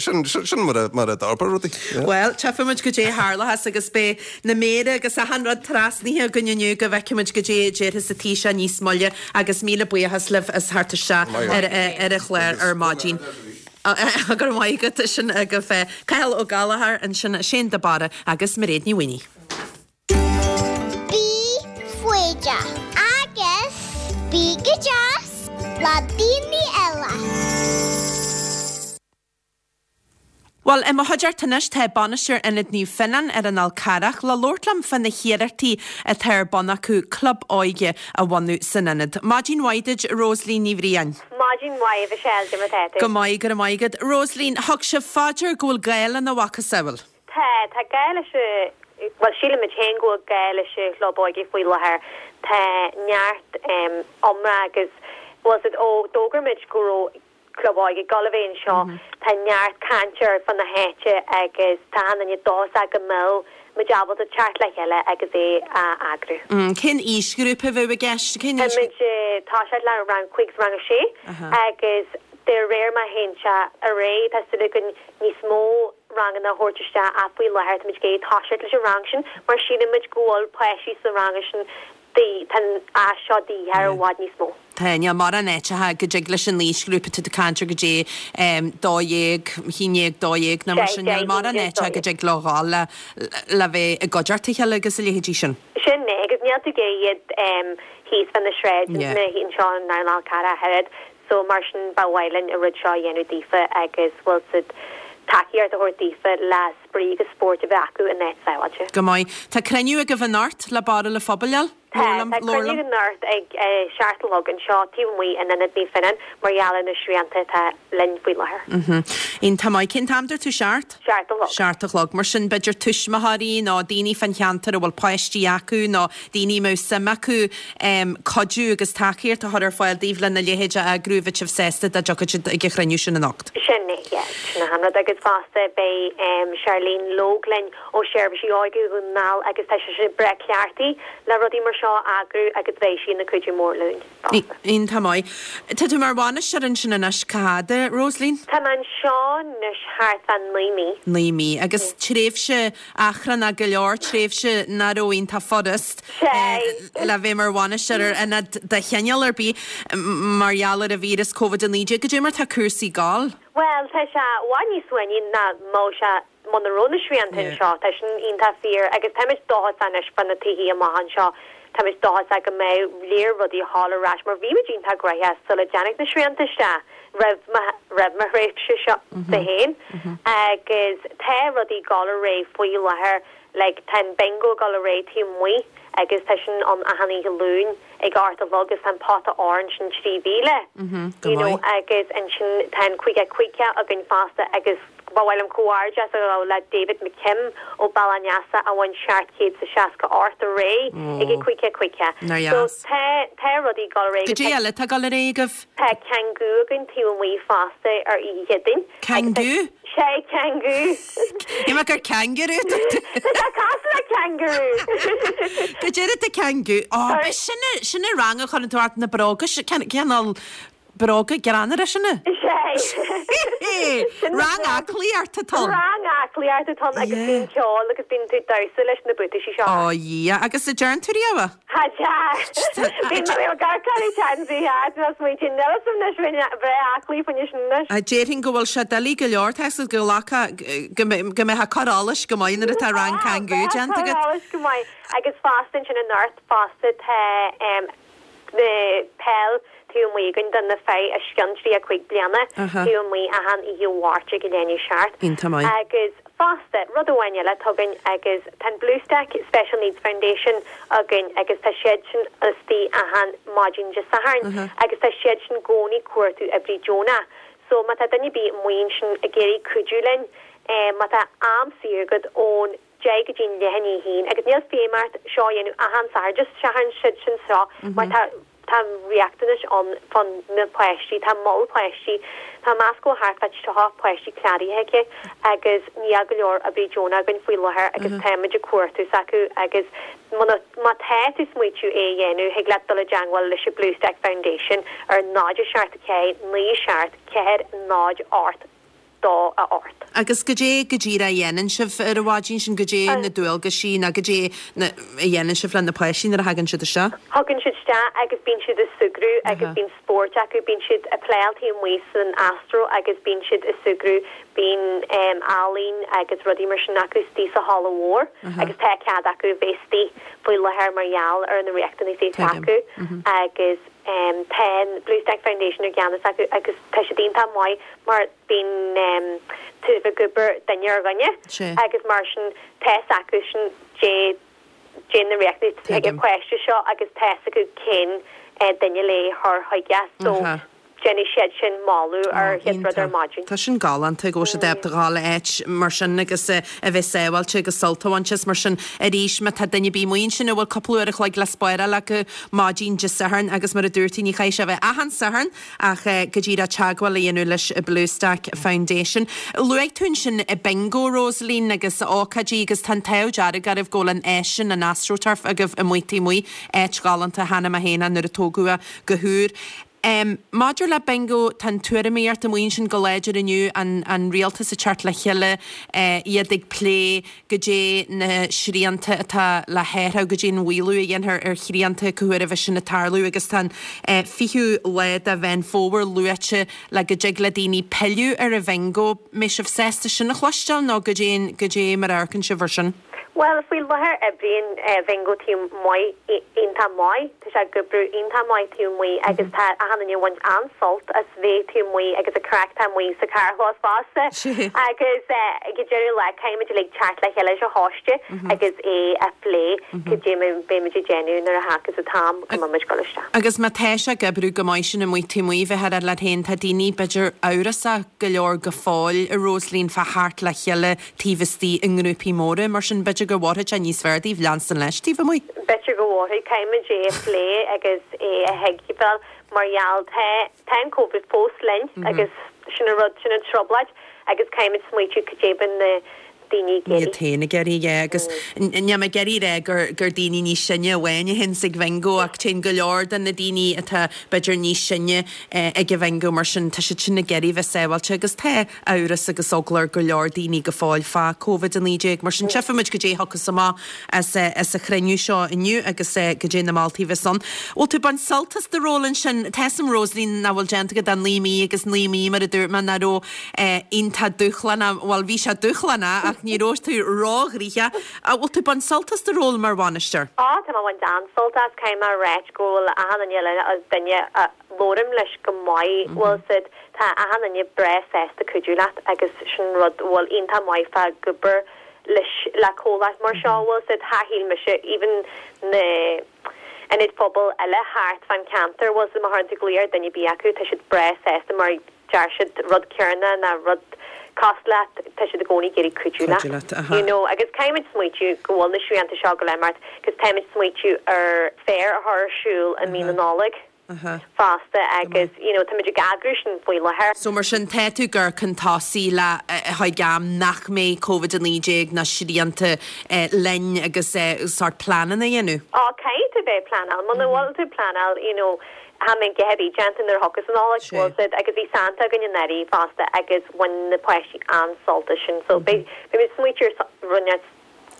sin sin mar a mar a d'fhorbair rudaí. Well, tchífimid goidé a tharlós agus beidh na méara agus achan rud trasnaithe againn inniu go bhfeicfimid goidé a déarfas an Taoiseach níos moille agus míle buíochas libh as theacht isteach ar ar an chlár ar maidin. Gur maith go sin go fe Cathal Ó Gallchóir ansin Shane de Barra agus Mairéad Ní Mhaonaigh. Bí foighdeach agus bí go deas le daoine eile. Well, i mo chuideachta anois tá bainisteoir Ionad Naomh Fionnán ar an Fhál Carrach le labhairt liom faoi na hiarrachtaí atá ar bun acu club óige a bhunú san ionad. Maidin mhaith duit Rosaleen Ní Bhriain. Maidin mhaith Michelle de matéú. Go maith go maith agat. Rosaleen, thug sibh faoi deara go bhfuil gá lena mhacasamhail. Tá tá gá leis well sílimid féin go bhfuil gá leis an chlub óige faoi láthair Tá neart um, iomrá agus was it ó d'fhógair muid go raibh club óige ag gabháil a bheith anseo Tá neart cainte ar fud na háite agus tá an dóchas go mbeidh muid ábalta teacht le chéile agus é a eagrú. Mm, Cén aoisghrúpa a bheidh i gceist cén aois Táimid tá sé le rang cúig rang a sé agus de réir mar a théann sé ar aghaidh tá súil againn níos mó ranganna a thabhairt isteach ach faoi láthair táimid ag toiseacht leis an rang sin mar sílimid go bhfuil páistí sa rang sin tá a seo de dhíth i bhfad níos mó. Tá níl mórán áiteacha go dtig leis an aoisghrúpa tú caint go dtí dó dhéag haon déag dó dhéag nó mar sin níl mórán áiteacha go dtig leo dhul le le bheith i gcuideachta a chéile agus a leithéidí sin. Sin é agus níl tú ag iad thíos fan na sráid na anseo an Fhál Carrach thart, so mar sin ba mhaith linn an rud seo a dhéanamh daofa agus bhfuil siad tacaíocht a thabhairt daofa le spraoi agus spórt a bheith acu in áit sábháilte. Go maith. Tá cruinniú agaibh anocht le barra le phobail? Tá cruinniú anocht ag seacht a chlog anseo taobh amuigh in Ionad Naomh Fionnán mar gheall ar na srianta atá linn faoi láthair. Iontach maith cén t-am dúirt tú seacht? Seacht a chlog. Seacht a chlog, mar sin b'fhéidir tuismitheoirí nó daoine fan cheantar a bhfuil páistí acu nó daoine mó suim acu um, cuidiú agus tacaíocht a chur ar fáil daoibh lena leithéid a eagrú bheadh sibh sásta dá dtiocfadh siad ag an chruinniú sin anocht. Sin é sin an rud agus fosta beidh um, Charlene Logue linn ó Seirbhísí Óige Dhún na nGall agus tá sé breá cleachtaithe le rudaí mar seo a eagrú agus beidh sí ina cuidiú mór linn. Iontach maith. Tá tú mar bhainisteoir ansin anois cá fhad, Rosaleen? Tá mé anseo anois thart fá naoi mí. Naoi mí agus tréimhse achrannach go leor tréimhse nach raibh iontach furast le bheith mar bhainisteoir ar ionad de chineál ar bith mar gheall ar an víreas Covid a naoi déag goidé mar tá cúrsaí ag gabháil. Well tá sé i bhfad níos suaimhní ná mar sé muna raibh na srianta anseo tá sin iontach fíor agus táimid dóchasach anois fá na taithí amach anseo táimid dóchasach go mbeidh léir rudaí thall ar ais mar bhí muid iontach gnóthach sula dtáinig na srianta isteach roimh roimh mo thréimhse seo de féin agus tá rudaí ag gabháil ar aghaidh faoi láthair like tá an bingo ag gabháil ar aghaidh taobh amuigh agus tá sin an achan oíche Luain ag a hocht a chlog agus an pota orange sin trí mhíle you know agus ansin tá an cúig cúig againn fosta agus ba mhaith liom comhghairdeas a ghabháil le David McKim ó Bealach an Easa a bhain seacht chéad is a seasca ocht aréir ag an Caoga Caoga. Nár So dheas. tá tá rudaí ag dul ar aghaidh. Goidé eile atá ag dul ar aghaidh agaibh? Tá Kangoo againn taobh amuigh fosta ar Oíche Chéadaoin. Kangoo? Sé Kangoo. Shíl mé gur kangaroo a dúirt tú. Tá sé cosúil le kangaroo. Goidé atá Kangoo? Ó, b'é sin a sin a rang a chuireann tú ort na bróga cineál bróga greannmhara sin é? Sé. Rang aclaíochta atá ann. Rang aclaíochta atá ann agus bíonn ceol agus bíonn tú ag damhsa leis na buataisí seo. Ó Dhia, agus an dtearn tú riamh é? Ha Bhí mé gar carí teansaí smaointe nela sin bheith aclaí faoin sin anois. Déarfainn go bhfuil sé doiligh go leor tá go nglacfá go mbeifeá ag cur allais go maith nuair atá rang Kangoo déanta agat. Allais go maith agus fosta ansin anocht fosta tá na peil taobh amuigh againn do na fir os cionn trí a cúig bliana taobh amuigh achan oíche Mháirt ag a leath i ndiaidh a seacht. Iontach maith. Agus fosta, rud amháin eile atá againn agus tá an Bluestack Special Needs Foundation againn agus tá siad sin istigh achan maidin Dé Sathairn agus tá siad sin i gcónaí ag cuartú oibrí deonach. So má tá duine ar bith amuigh ansin ag iarraidh cuidiú linn, má tá am saor agat ón deich go dtí an leath i ndiaidh a haon agus níl feidhm ort seo a dhéanamh achan Satharn, just Satharn siad sin seo mar tá tá riachtanais ann fá na páistí, tá moll páistí, tá meas go thart fá tríocha páistí cláraithe aici agus níl go leor oibrí deonach againn faoi láthair agus táimid ag cuartú s'acu agus muna má tá tú ag smaoitiú é a dhéanamh thig leat dul i dteangmháil leis an Bluestack Foundation ar náid a seacht a ceathair naoi seacht ceathair náid ocht dó a ocht. Agus goidé go díreach a dhéanann sibh ar an mhaidin sin, goidé na dualgaisí nó goidé a dhéanann sibh le na páistí nuair a thagann siad isteach? Thagann siad isteach agus bíonn siad ag súgradh agus bíonn spóirt acu, bíonn siad ag playáil taobh amuigh san astro agus bíonn siad ag súgradh, bíonn ealaín agus rudaí mar sin acu istigh sa halla mhór agus tá cead acu bheith istigh faoi láthair mar gheall ar na riachtanais atá acu agus tá an Bluestack Foundation i gceannas acu agus tá siad iontach maith mar bíonn tú ag obair duine ar dhuine agus mar sin tá a fhios acu sin dé dé na riachtanais ag an páiste seo agus tá a fhios acu cén duine le chur chuige so déanfaidh siad sin moladh ar chéad rud ar maidin. Tá sin galánta go bhfuil siad ábalta dhul áit mar sin agus a bheith sábháilte agus sult a bhaint as mar sin arís má tá duine ar bith amuigh ansin a bhfuil cúpla uair a chloig le spáráil acu maidin Dé Sathairn agus mar a dúirt tú ní chaithfidh sé a bheith achan Satharn ach go díreach teagmháil a dhéanamh leis an Bluestack Foundation. Luaigh tú ansin bingo Rosaleen agus ócáidí agus tá an t-ádh dearg oraibh go bhfuil an áis sin an AstroTurf agaibh amuigh taobh amuigh áit ghalánta cheana mé féin nuair a tógadh é go húr. Um, maidir le bingo tá an tuairimíocht amuigh ansin go láidir inniu an, an rialtas ag teacht le chéile eh, iad ag plé goidé na srianta atá le hathrú goidé an maolú a dhéanfar ar shrianta cá huair a bheidh sin ag tarlú agus tá an eh, fichiú lá de Mheán Fómhair luaite le go dtig le daoine pilleadh ar a bhingo. Mbeidh sibh sásta sin a chloisteáil nó goidé goidé mar a amharcann sibh air sin? Well, faoi láthair oibríonn bingo taobh amuigh iontach maith, tá sé ag oibriú iontach maith taobh amuigh agus tá achan duine ag baint an-sult as bheith taobh amuigh agus an craic taobh amuigh sa carrchlós fosta. Agus ag deireadh lá caithfimid uilig teacht le chéile sa choiste agus é a phlé cad é mar beimid ag déanamh nuair a thagas an t-am go mbeimid ag dul isteach. Agus má tá sé ag oibriú go maith sin amuigh taobh amuigh bheith ar leat féin tá daoine b'fhéidir amhrasach go leor go fóill a Rosaleen fá theacht le chéile taobh istigh i ngrúpaí móra mar sin b'fhéidir go bhfaighidh sé níos fearr daoibh leanstan leis taobh amuigh. B'fhéidir go bhfaighidh, caithfimid é a phlé agus é a thuigbheáil mar gheall tá tá an Covid fós linn agus sin an rud sin an trioblóid agus caithfimid smaoitiú cad é bíonn na daoine ag Iad iarraidh. féin ag iarraidh, yeah, agus níl mé ag iarraidh a rá gur gur daoine níos sine amháin a théanns ag bingo ach téann go leor de na daoine atá b'fhéidir níos sine ag an bhingo mar sin tá siad sin ag iarraidh bheith sábháilte agus tá amhras agus eagla ar go leor daoine go fóill fá Covid a naoi déag mar sin tchífimid goidé a thiocfas amach as as an chruinniú seo inniu agus goidé na moltaí a bheas ann. Bhfuil tú ag baint sult as do ról ansin? Tá a fhios agam Rosaleen nach bhfuil déanta agat ach naoi mí agus naoi mí mar a dúirt mé nach raibh iontach dúshlánach, bhuel bhí sé dúshlánach ach ní raibh tú róghnoitheach. Bhfuil tú ag baint sult as do ról mar bhainisteoir? Á, tá mé ag baint an-sult as, caithfidh mé a ráit go bhfuil achan duine eile, duine a labhraím leis go maith, bhfuil siad, tá achan duine breá sásta cuidiú leat agus sin rud a bhfuil iontach maith fá ag obair leis le comhlacht mar seo, bhfuil siad, shíl mise, even na ionaid phobail eile thart fán ceantar, bhfuil siad, má chuireann tú glaoch ar duine ar bith acu, tá siad breá sásta mar deir siad rud céanna ná rud cosúil leat, tá siad i gcónaí ag iarraidh cuidiú Cuidiú leat. leat, aha. You know, agus caithfimid smaoitiú go bhfuil na srianta seo go leor agus táimid smaoitiú ar féar a chur ar siúl i mí na Nollag Aha. fosta agus you know, táimid ag eagrú sin faoi láthair. So mar sin tá tú ag amharc chun tosaigh le chuig am nach mbeidh Covid a naoi déag na srianta eh, linn agus eh, sort pleananna a dhéanamh. Á caithfidh tú bheith pleanáil, muna bhfuil tú pleanáil, you know, ha mé gehebí deanta nuair thugas an Nollaig Sé. bhfuil siad agus bhí Santa againn anuraidh fosta agus bhain na páistí an-sult as sin so beidh beidh smaoitiú rinne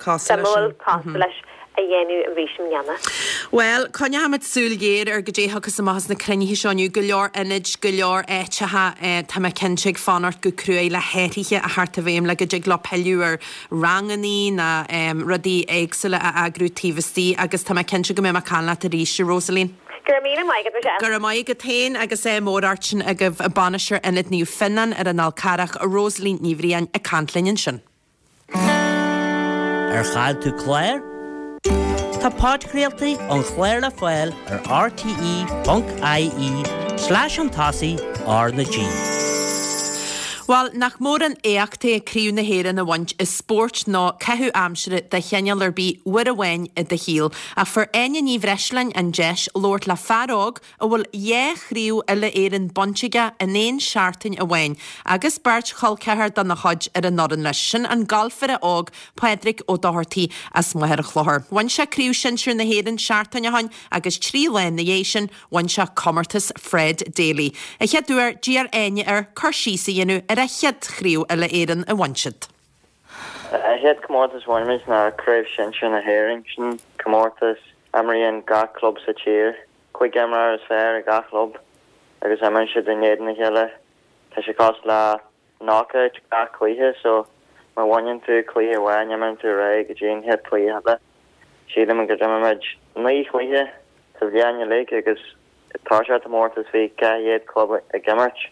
Cosúil leis suimiúil sin. cosúil leis a dhéanamh arís i mbliana. Well, coinneoimid súil ghéar ar goidé a thiocfas amach as na cruinnithe seo inniu go leor ionaid go leor áiteacha eh, tá mé cinnte ag fanacht go cruaidh le hathruithe a theacht i bhfeidhm le go dtig leo pilleadh ar rangannaí na um, rudaí éagsúla a eagrú taobh istigh agus tá mé cinnte go mbeidh mé ag caint leat arís, Rosaline. Go raibh míle maith agat Michelle. Go raibh maith agat féin agus é móráirtin agaibh a bainisteoir Ionad Naomh Fionnán ar an Fhál Carrach Rosaline Ní Bhriain ag caint linn ansin. Ar chaill tú clár? Tá podchraoltaí an chláir le fáil ar RTE.ie slash an tosaigh R na G. Well, nach mór an éacht é Craobh na hÉireann a bhaint i spórt nó caitheamh aimsire de chineál ar bith uair amháin i do shaol. Ach fuair Áine Ní Bhreisleáin an deis labhairt le fear óg a bhfuil dhá chraobh uile Éireann bainte aige in aon seachtain amháin, agus beirt chol ceathar dá chuid ar an fhoireann leis sin an galfaire óg Pádraig Ó Dochartaigh as Machaire Chlochair. Bhain sé Craobh Shinsir na hÉireann seachtain ó shin agus trí lá ina dhiaidh sin bhain sé comórtas Fred Daly. A chéad uair d'iarr Áine air cur síos a dhéanamh ar a chéad chraobh uile Éireann a bhain siad. A chéad comórtas bhain muid ná Craobh Shinsir na hÉireann sin comórtas imríonn gach club sa tír, cúig imreoir is fearr ag gach club agus imríonn siad in éadan a chéile. Tá sé cosúil le knockout gach cluiche so má bhaineann tú cluiche amháin imríonn tú ré go dtí an chéad cluiche eile. Sílim go d'imir muid naoi chluiche sa bhliain uilig agus tá sé comórtas bhí ceithre club ag imirt.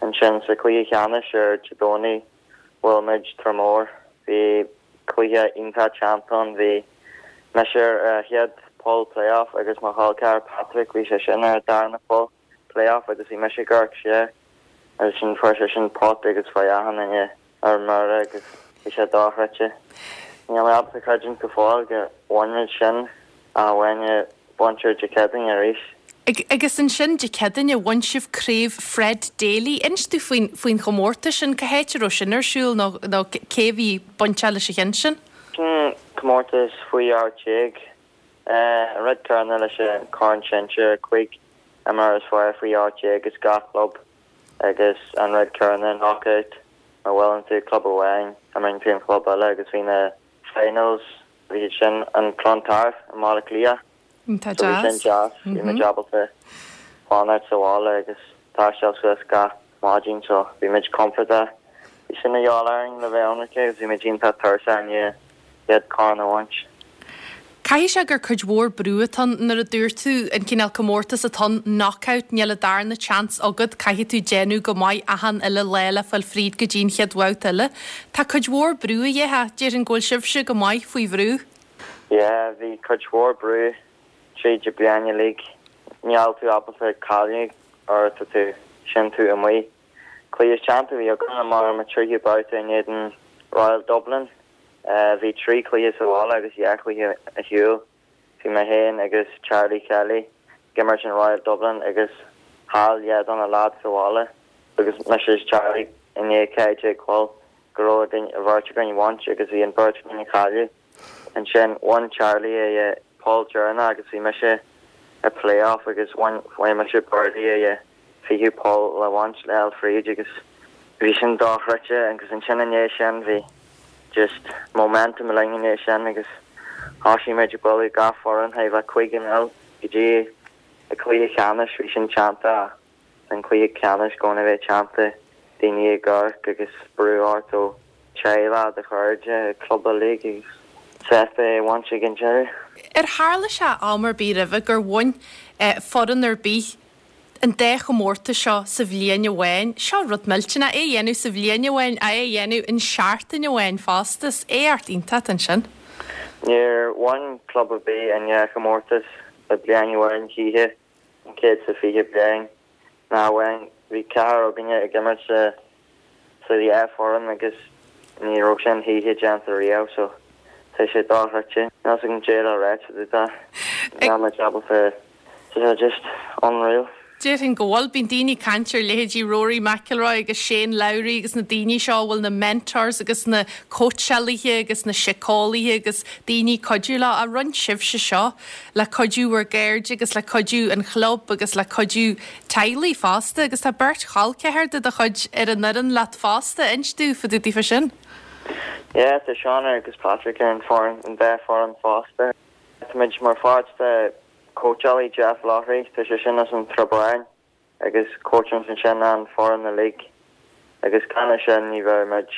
Ansin sa cluiche ceannais ar Dé Domhnaigh bhuail muid Tramore bhí cluiche iontach teannta bhí mise ar chéad poll playoff agus mo chol ceathar Patrick bhí sé sin ar darna poll playoff agus bhí mise gar sé agus sin fuair sé sin pot agus fa ahanine ar mar agus bhí sé dochreidte. Níl mé ábalta creidiúint go fóill go bhain muid sin a bhaine bunir de Céadaoin arís. Agus ansin Dé Céadaoin bhain sibh craobh Fred Daly. Inis tú faoin faoin chomórtas sin cá háit a raibh sin ar siúl nó nó cé bhí bainteach leis an sin? Sin comórtas faoi ocht déag an rud céanna leis an Corn Sinsir cúig imreoir is fearr faoi ocht déag agus gach club agus an rud céanna knockout má bhuann tú club amháin imríonn tú an club eile agus bhí na finals bhí sin an Clontarf i Mbaile Átha Cliath. Tá So bhí sin deas bhí muid ábalta fanacht sa bhaile agus taisteal suas gach maidin so bhí muid compordach. Bhí sin a dheálaing le bheith ionraic agus bhí muid iontach tuirseach i ndiaidh corn a bhaint. Caithfidh sé gur cuid mhór brú atá nuair a dúirt tú an cineál comórtas atá knockout níl an darna chance agat caithfidh tú déanamh go maith achan uile lá le fáil fríd go dtí'n chéad bhabhta eile. Tá cuid mhór brú a dhéha déarfainn go bhfuil sibhse go maith faoi bhrú. Yeah, bhí cuid mhór brú tríd an bliain uilig. Níl tú ábalta cailleadh or tá tú sin tú amuigh. Cluiche teannta bhí againn mar an tríú babhta in éadan Royal Dublin. Uh, bhí trí cluiche sa bhaile agus dhá chluiche ar shiúl. Bhí mé féin agus Charlie Kelly ag imirt in Royal Dublin agus chaill dhá de na lads sa bhaile agus mise Charlie i ndiaidh ceathair déag poll go raibh an bheirt againn bhaint agus bhí an bheirt againn ag cailleadh. Ansin bhain Charlie é poll deireanach agus bhí mise i playoff agus bhain bhain mise birdie é fichiú poll le bhaint le fríd agus bhí sin dochreidte agus ansin i ndiaidh sin bhí just momentum linn i ndiaidh sin agus thosaigh muid ag bualadh gach foireann thaobh le cúig náid go dtí a cluiche ceannais bhí sin teannta an cluiche ceannais gona bheith teannta daoine ag amharc agus brú ort ó teaghlach do chairde club uilig agus sásta é a bhaint ag an deireadh. Ar tharla sé am ar bith roimhe gur bhain eh, foireann ar bith an dá chomórtas seo sa bhliain amháin, seo rud millteanach é dhéanamh sa bhliain amháin é dhéanamh in seachtain amháin fosta éacht iontach ansin. Níor bhain club ar bith an dá chomórtas le bliain amháin choíche an céad sa fiche bliain ná amháin bhí ceathrar againne ag imirt sa sa dhá foireann agus ní raibh sin choíche déanta riamh so tá sé dochreidte. Níl a fhios agam caidé le ráit fá dtaobh. Níl mé ábalta tá sé just unreal. Déarfainn go bhfuil. Bíonn daoine ag caint ar leithéidí Rory McIlroy agus Shane Lowry agus na daoine seo a bhfuil na mentors agus na cóitseálaithe agus na síceolaithe agus daoine ag cuidiú leo. Ach rinne sibhse seo le cuidiú bhur gcairde agus le cuidiú an chlub agus le cuidiú teaghlaigh fosta agus tá beirt chol ceathar de do chuid ar an fhoireann leat fosta. Inis dúinn fá dtaobh daofa sin. Yeah, tá Seán agus Patrick ar an foireann, an dá foireann fosta. Táimid mar pháirt de cóitseálaí Jeff Loughery, tá sé sin as an Trabáin agus cóitseálann sin an foireann uilig agus gan é sin ní bheadh muid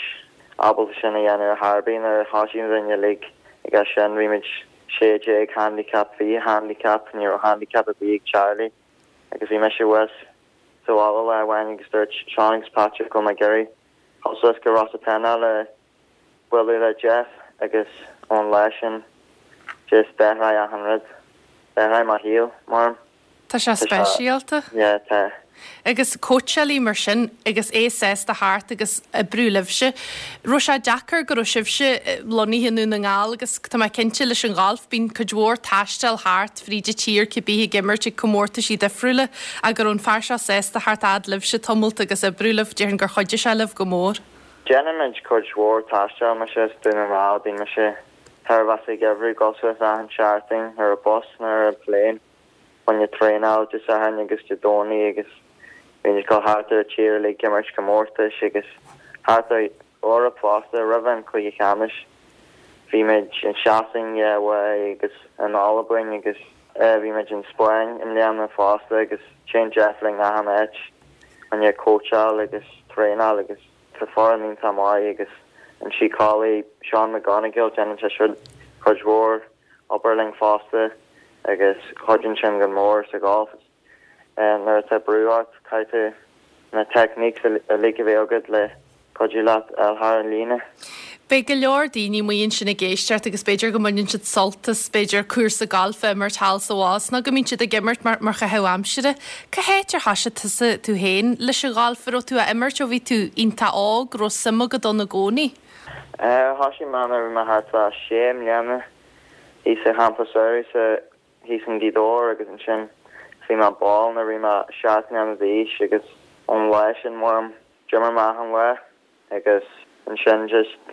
ábalta sin a dhéanamh ar chor ar bith nuair a thosaigh muid uilig ag sin bhí muid sé déag handicap fiche handicap ní raibh handicap ar bith ag Charlie agus bhí mise thuas sa bhaile lá amháin agus dúirt Seán agus Patrick go mé ag iarraidh dul suas go Rosapenna le bualadh le Jeff agus ón lá sin just d'athraigh achan rud. D'athraigh mo shaol mar. Tá sé speisialta. Yeah, tá. Agus cóitseálaí mar sin agus é sásta theacht agus oibriú libhse. Raibh sé deacair go raibh sibhse lonnaithe i nDún na nGall agus tá mé cinnte leis an ghalf bíonn cuid mhór taisteal thart fríd an tír cibé ag imirt ag comórtaisí difriúla ach go raibh an fear seo sásta theacht fhad libhse tamalt agus oibriú libh déarfainn gur chuidigh sé libh go mór. Déanaimid cuid mhór taistil mise as Dún na nGall bíonn mise thar bheas ag oibriú go suas achan seachtain ar an bus nó ar an plane chun traenáil Dé Sathairn agus Dé Domhnaigh agus bíonn go thart ar tír le imirt comórtais agus thart ar Eoraip fosta roimh an cluiche ceannais. Bhí muid in Sasain agus in Albain agus bhí muid in Spáinn i mbliana fosta agus téann Jeff linn achan áit chun cóitseáil agus traenáil agus tá foireann iontach maith agus an síceolaí Seán McGonigal déanann sé siúd cuid mhór obair linn fosta agus cuidíonn sin go mór sa golf. Nuair atá brú ort caithfidh na techniques uilig a bheith agat le cuidiú leat thar an líne. Beidh go leor daoine amuigh ansin ag éisteacht agus b'fhéidir go mbaineann siad sult as b'fhéidir cúrsa gailf a imirt thall sa bhás nó go mbíonn siad ag imirt mar mar chaitheamh aimsire. Cá háit ar thosaigh tusa tú féin leis an ghalf raibh tú á imirt ó bhí tú iontach óg raibh suim agat ann i gcónaí? Thosaigh mé nuair a bhí mé thart fá sé mbliana thíos sa champa samhraidh sa thíos in Gaoth Dobhair agus ansin bhí mé ball nuair a bhí mé seacht mbliana d'aois agus ón lá sin mar d'imir mé achan lá agus ansin just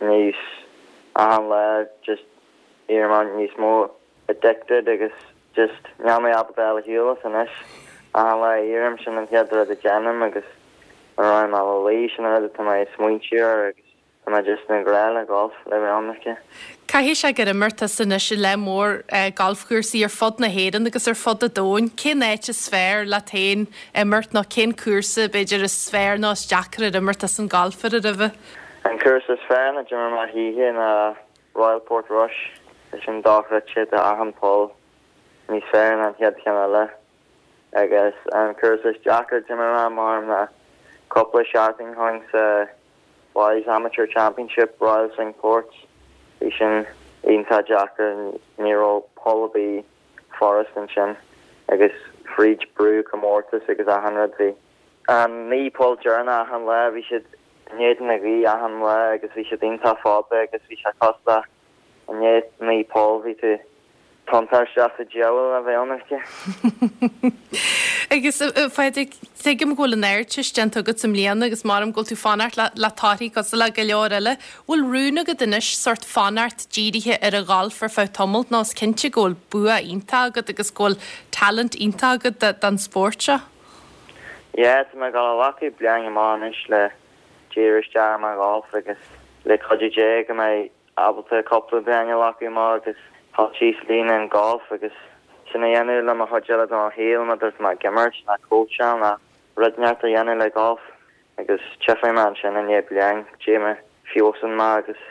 níos achan lá just d'éirigh mé níos mó addicted agus just níl mé ábalta a shiúl as anois achan lá éirím sin an chéad rud a déanaim agus nuair a mé a luí sin an rud atá mé ag smaointiú air agus tá mé just i ngrá le golf le bheith ionraic. Caithfidh sé gur imir tusa anois i lear mór galfchúrsaí ar fud na hÉireann agus ar fud an domhain. Cén áit is fearr leat féin imirt nó cén cúrsa b'fhéidir is fearr nó is deacra ar imir tusa an galf air roimhe? An cúrsa is fearr a d'imir mé choíche ná Royal Portrush is sin dochreidte tá achan poll níos fearr ná an chéad cheann eile agus an cúrsa is deacra a d'imir mé mar ná cúpla seachtain ó shin sa Boys Amateur Championship Royal Cinque Ports bhí sin iontach deacair ní raibh poll ar bith furast ansin agus fríd brú comórtas agus achan rud bhí an naoi poll deireanach achan lá bhí siad in éadan na gaoithe achan lá agus bhí siad iontach fada agus bhí sé cosúil le i ndiaidh naoi poll bhí tú tiontaithe isteach sa diabhal a bheith ionraic. Agus a Phádraig, tuigim go bhfuil an Ardteist déanta agat i mbliana agus maram go bhfuil tú fanacht le, le torthaí cosúil le go leor eile. Bhfuil rún agat anois sort fanacht dírithe ar an ghalf ar feadh tamaill nó is cinnte go bhfuil bua iontach agat agus go bhfuil talent iontach agat don spórt seo? Yeah, tá mé ag dul a ghlacadh bliain amach anois le díriú isteach ar mo gholf agus le cuidiú Dé go mbeidh ábalta cúpla bliain a ghlacadh amach agus dul síos líne an golf agus sin a dhéanamh le mo chuid eile de mo shaol má tá mé ag imirt ná cóitseáil ná rud inteacht a dhéanamh le golf agus tchífidh mé ansin i ndiaidh bliain cé mé feabhsaíonn mé agus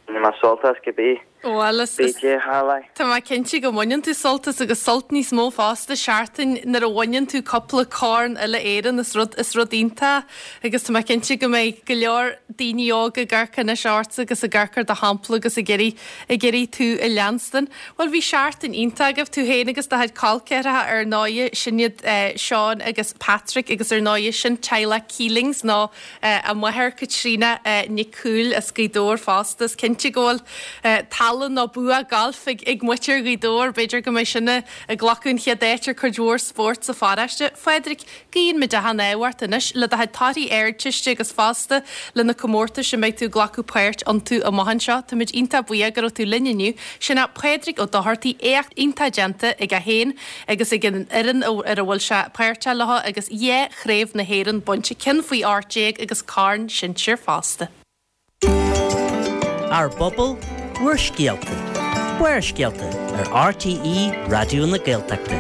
ní mé sult as cibé. Bhuel, is, Bhí dé tharla. Tá mé cinnte go mbaineann tú sult as agus sult níos mó fosta seachtain nuair a bhaineann tú cúpla corn uile-Éireann is rud is rud iontach agus tá mé cinnte go mbeidh go leor daoine óga ag amharc anois ort agus ag amharc ar do shampla agus ag iarraidh ag iarraidh tú a leanstan. Bhuel bhí seachtain iontach agaibh tú féin agus do chuid col ceathracha ar ndóigh sin iad eh, Seán agus Patrick agus ar ndóigh sin teaghlach Keelings nó eh, a máthair Caitríona eh, Nic Cumhaill as Gaoth Dobhair fosta is cinnte go bhfuil eh, tallann nó bua gailf ag, ag muintir Ghaoth Dobhair, b'fhéidir go mbeidh sinne ag glacadh an chéad áit ar cuid mhór spórt sa pharóiste. Phádraig, guíonn muid achan ádh ort anois le do chuid torthaí Ardteiste agus fosta le na comórtais a mbeidh tú ag glacadh páirt iontu amach anseo. Táimid iontach buíoch go raibh tú linn inniu. Sin é Pádraig Ó Dochartaigh éacht iontach déanta aige féin agus ag an fhoireann ar a bhfuil sé páirteach leo agus dhá chraobh na hÉireann bainte ceann faoi ocht déag agus corn sinsir fosta. Ár bpobal, bhur scéalta. Barrscéalta ar RTÉ Raidió na Gaeltachta.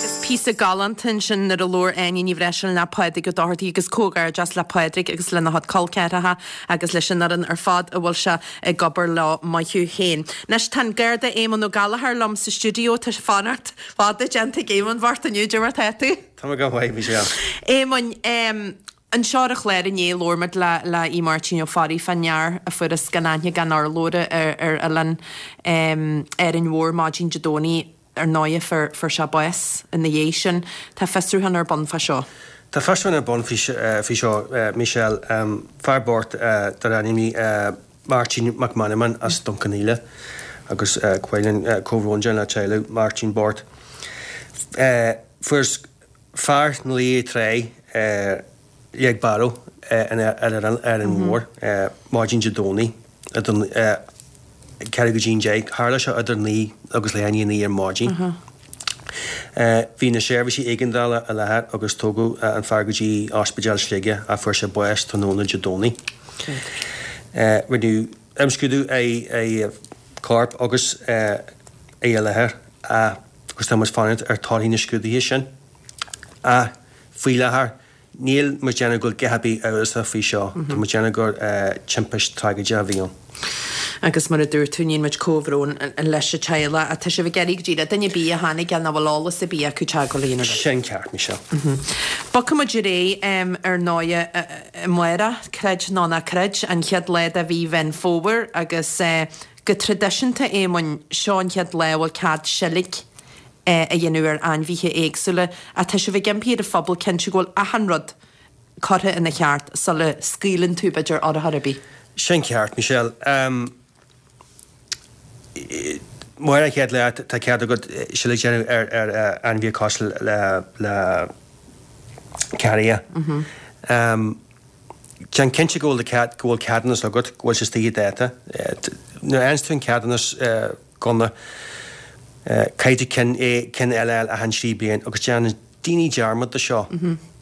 Is píosa galánta ansin nuair a labhair Áine Ní Bhreisleáin le Pádraig Ó Dochartaigh agus comhghairdeas le Pádraig agus lena chuid col ceathracha agus leis an fhoireann ar fad a bhfuil sé ag obair leo maith thú féin. Anois tá an Garda Éamonn Ó Gallchóir liom sa stiúideo tá fanacht fada déanta ag Éamonn bhart inniu de mar tá tú. Tá go mhaith Michelle. Éamonn um, anseo ar an chlár inné labhair muid le le í Máirtín Ó Fearraigh fán fhear a fuarthas gan aithne gan urlabhra ar ar oileán um, Árainn Mhór maidin Dé Domhnaigh ar ndóigh fuair fuair sé bás ina dhiaidh sin tá fiosrúchán ar bun fá seo. Tá fiosrúchán ar bun faoi faoi seo Michelle um, fear bocht uh, dar ainm uh, Martin McManaman as Dún Cionnaola agus uh, cuireann uh, comhbhrón le teaghlach Martin bocht. Uh, fuair fear na lí tré uh, leag barrow uh, ar ar Árainn Mhór uh, maidin Dé Domhnaigh ceathrú go dtí deich tharla sé idir naoi agus leath i ndiaidh a naoi ar maidin. Uh, Bhí na seirbhísí éigeandála i láthair agus tugadh uh, an fear go dtí ospidéal Shligigh a fuair sé bás tráthnóna Dé Domhnaigh. Uh, Rinneadh imscrúdú é é corp agus uh, é i láthair uh, agus tá muid fanacht ar torthaí na scrúduithe sin. A faoi láthair níl muid déanamh go gehabí amhrasach faoi seo, Tá muid déanamh gur timpiste tragóideach a bhí ann. Agus mar a dúirt tú níl muid comhbhrón leis an teaghlach a tá sibh ag iarraidh go dtí duine ar bith a tháinig an bhfuil eolas ar bith acu teagmháil a dhéanamh. Sin ceart Michelle. Bogfaidh muid ar aghaidh ar ndóigh amárach creid nó ná creid an chéad lá de mhí Mheán Fómhair agus go traidisiúnta Éamoinn seo an chéad lá a bhfuil cead seilg a dhéanamh ar ainmhithe éagsúla a tá sibh ag impí ar an phobal cinntiú go bhfuil achan rud curtha ina cheart sula scaoileann tú b'fhéidir urchar ar bith. Sin ceart Michelle. Um, Mar an chéad lá tá cead agat seilg a dhéanamh ar ar ainmhí cosúil le le carria. Um, Déan cinnte go bhfuil cead go bhfuil ceadúnas agat go bhfuil sé istigh i dáta. Nuair a fhaigheann tú an ceadúnas gunna caithfidh tú ceann é ceann eile achan trí bliain agus déanann daoine dearmad de seo.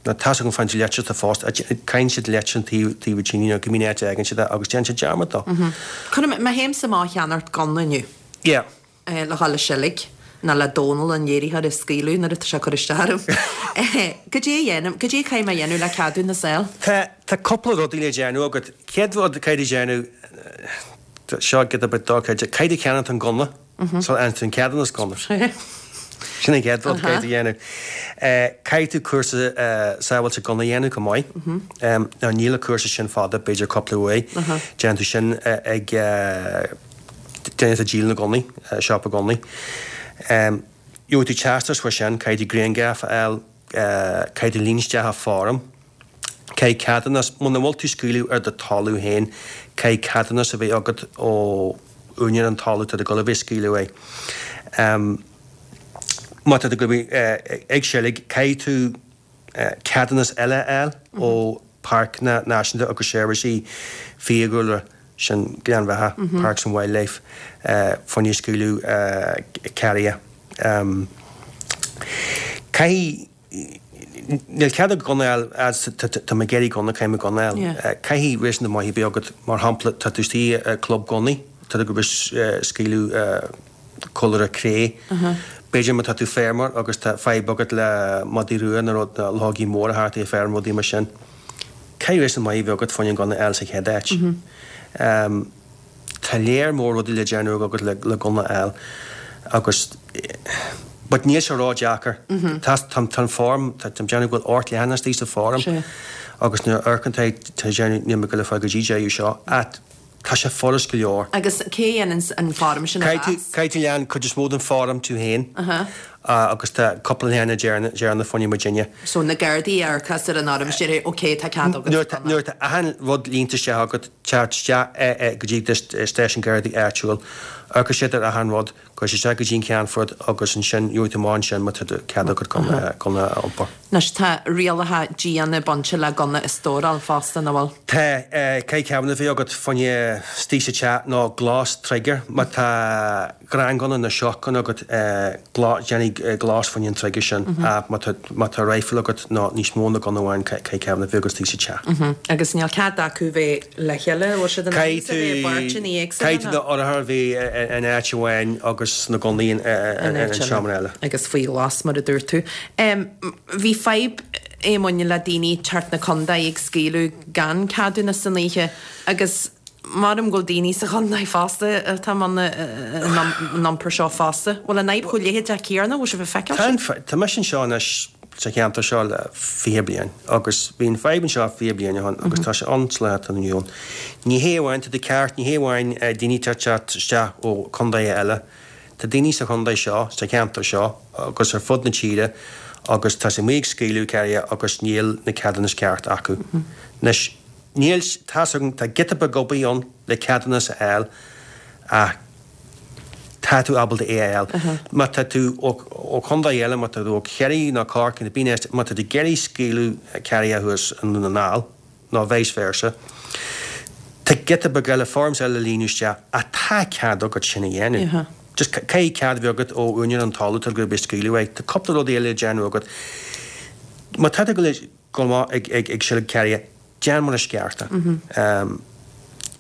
Na tá an fan leitir tá fást caitheann siad leitir an taobh taobh tine nó go mín áit aigean siad agus déanann siad dearmad dó. Chun má théimse amach ag ceannacht gunna inniu. Yeah. Le dhul ag seilg ná le Dónal an léiritheoir a scaoileadh nuair atá sé cur isteach orm. Goidé a dhéanam, goidé caithfidh mé a dhéanamh le ceadúnas a fháil. Tá tá cúpla rudaí le déanamh agat. Céad rud caithfidh déanamh seo giota beag dochreidte, caithfidh ceannacht an gunna so an an ceadúnas gunna. Sin an chéad rud caithfidh dhéanamh. Caithfidh tú cúrsa sábháilte gunna a dhéanamh chomh maith. Ná níl an cúrsa sin fada b'fhéidir cúpla uair. Déanann tú sin ag duine atá ag díol na gunnaí, siopa gunnaí. Gheobhaidh tú teastas faoi sin, caithfidh tú grianghraf a fháil, caithfidh tú líon isteach foirm. Caithfidh ceadúnas, muna bhfuil tú ag scaoileadh ar do talamh féin, caithfidh ceadúnas a bheith agat ó úinéir an talaimh atá tú ag dul a bheith ag scaoileadh é. Má tá tú ag dul a bheith ag seilg, caithfidh tú ceadúnas eile a fháil ó Páirceanna Náisiúnta agus Seirbhísí Fiadhúlra, sin Gleann Bheatha, Parks and Wildlife, fá choinne scaoileadh carria. Caithfidh, níl cead agat gunna a fháil, tá mé ag iarraidh gunna, caithfidh mé gunna a fháil. Caithfidh réasúnta maith a bheith agat, mar shampla, tá tú istigh i club gunnaí, tá tú ag scaoileadh colúra cré. B'fhéidir má tá tú feirmeoir agus tá fadhb agat le madaí rua nó rud, luchógaí móra thart ar feirm, rudaí mar sin. Caithfidh réasúnta maith a bheith agat fá choinne an gunna a fháil sa chéad áit. Tá Tá léar mór rudaí le déanamh agat le le gunna a fháil agus but níl sé ró-deacair. Tá tá an form tá tá déanamh go bhfuil ocht leathanach istigh sa form agus nuair a amharcann tú tá déanamh níl mé ag goil le fáil go dtí deireadh seo ach tá sé furast go leor. Agus cé a dhéanann an form sin a mheas? Caithfidh tú lean cuid is mó den form tú féin agus tá cúpla leathanach deireanach fá choinne muidinne. So na Gardaí a amharcas ar an fhoirm is déarfaidh ok tá cead agat. Nuair atá achan rud líonta isteach agat, teacht isteach go dtí stáisiún Gardaí áitiúil, amharcfaidh siad ar achan rud, Gabhfaidh sé isteach go dtí an Ceannfort agus ansin gheobhaidh tú amach ansin má tá cead agat gunna a iompar. Anois tá rialacha diana bainte le gunna a stóráil fosta, nach bhfuil? Tá. Caithfidh ceadúnas a bheith agat fá choinne istigh sa teach nó glas trigger. Má tá greanghunna nó shotgun agat déanfaidh glas fá choinne an trigger sin. Ach má tá má tá rifle agat nó níos mó ná gunna amháin caithfidh ceadúnas a bheith agat istigh sa teach. Agus níl cead acu bheith le chéile, bhfuil siad in ann a bheith i bpáirteanna éagsúla? Caithfidh tú na urchair a bheith in áit amháin agus na gunnaí in seomra eile. Agus faoi ghlas, mar a dúirt tú. Bhí fadhb Éamoinn le daoine thart na contae ag scaoileadh gan ceadúnas san oíche agus maram go bhfuil daoine sa chontae fosta atá i mbun an iompair seo fosta. Bhfuil an fhadhb chomh leitheadach céanna? Bhfuil sibh ag feiceáil sin? Tá mise anseo anois sa cheantar seo le fiche bliain agus bhí an fadhb anseo fiche bliain ó shin agus tá sé ann sa lá atá inniu ann. Ní hé amháin, tá tú ceart, ní hé amháin daoine ag teacht isteach ó chontaetha eile, tá daoine sa chontae seo, sa cheantar seo agus ar fud na tíre agus tá siad amuigh ag scaoileadh carraithe agus níl na ceadúnais ceart acu. Anois, níl, tá's agam, tá giota beag obair ann le ceadúnas a fháil ach, tá tú ábalta é a fháil. Má tá tú ó chontae eile, má tá tú ó Chiarraí nó Corcaigh nó bíonn má tá tú ag iarraidh scaoileadh carraithe thuas i nDún na nGall nó vice versa, tá giota beag eile, forms eile le líonadh isteach ach tá cead agat sin a dhéanamh. Just caithfidh cead a bheith agat ó úinéir an talaimh atá tú ag scaoileadh uaidh. Tá cúpla rudaí eile le déanamh agat. Má tá tú ag dul amach ag seilg carraithe, Déan mar is ceart é.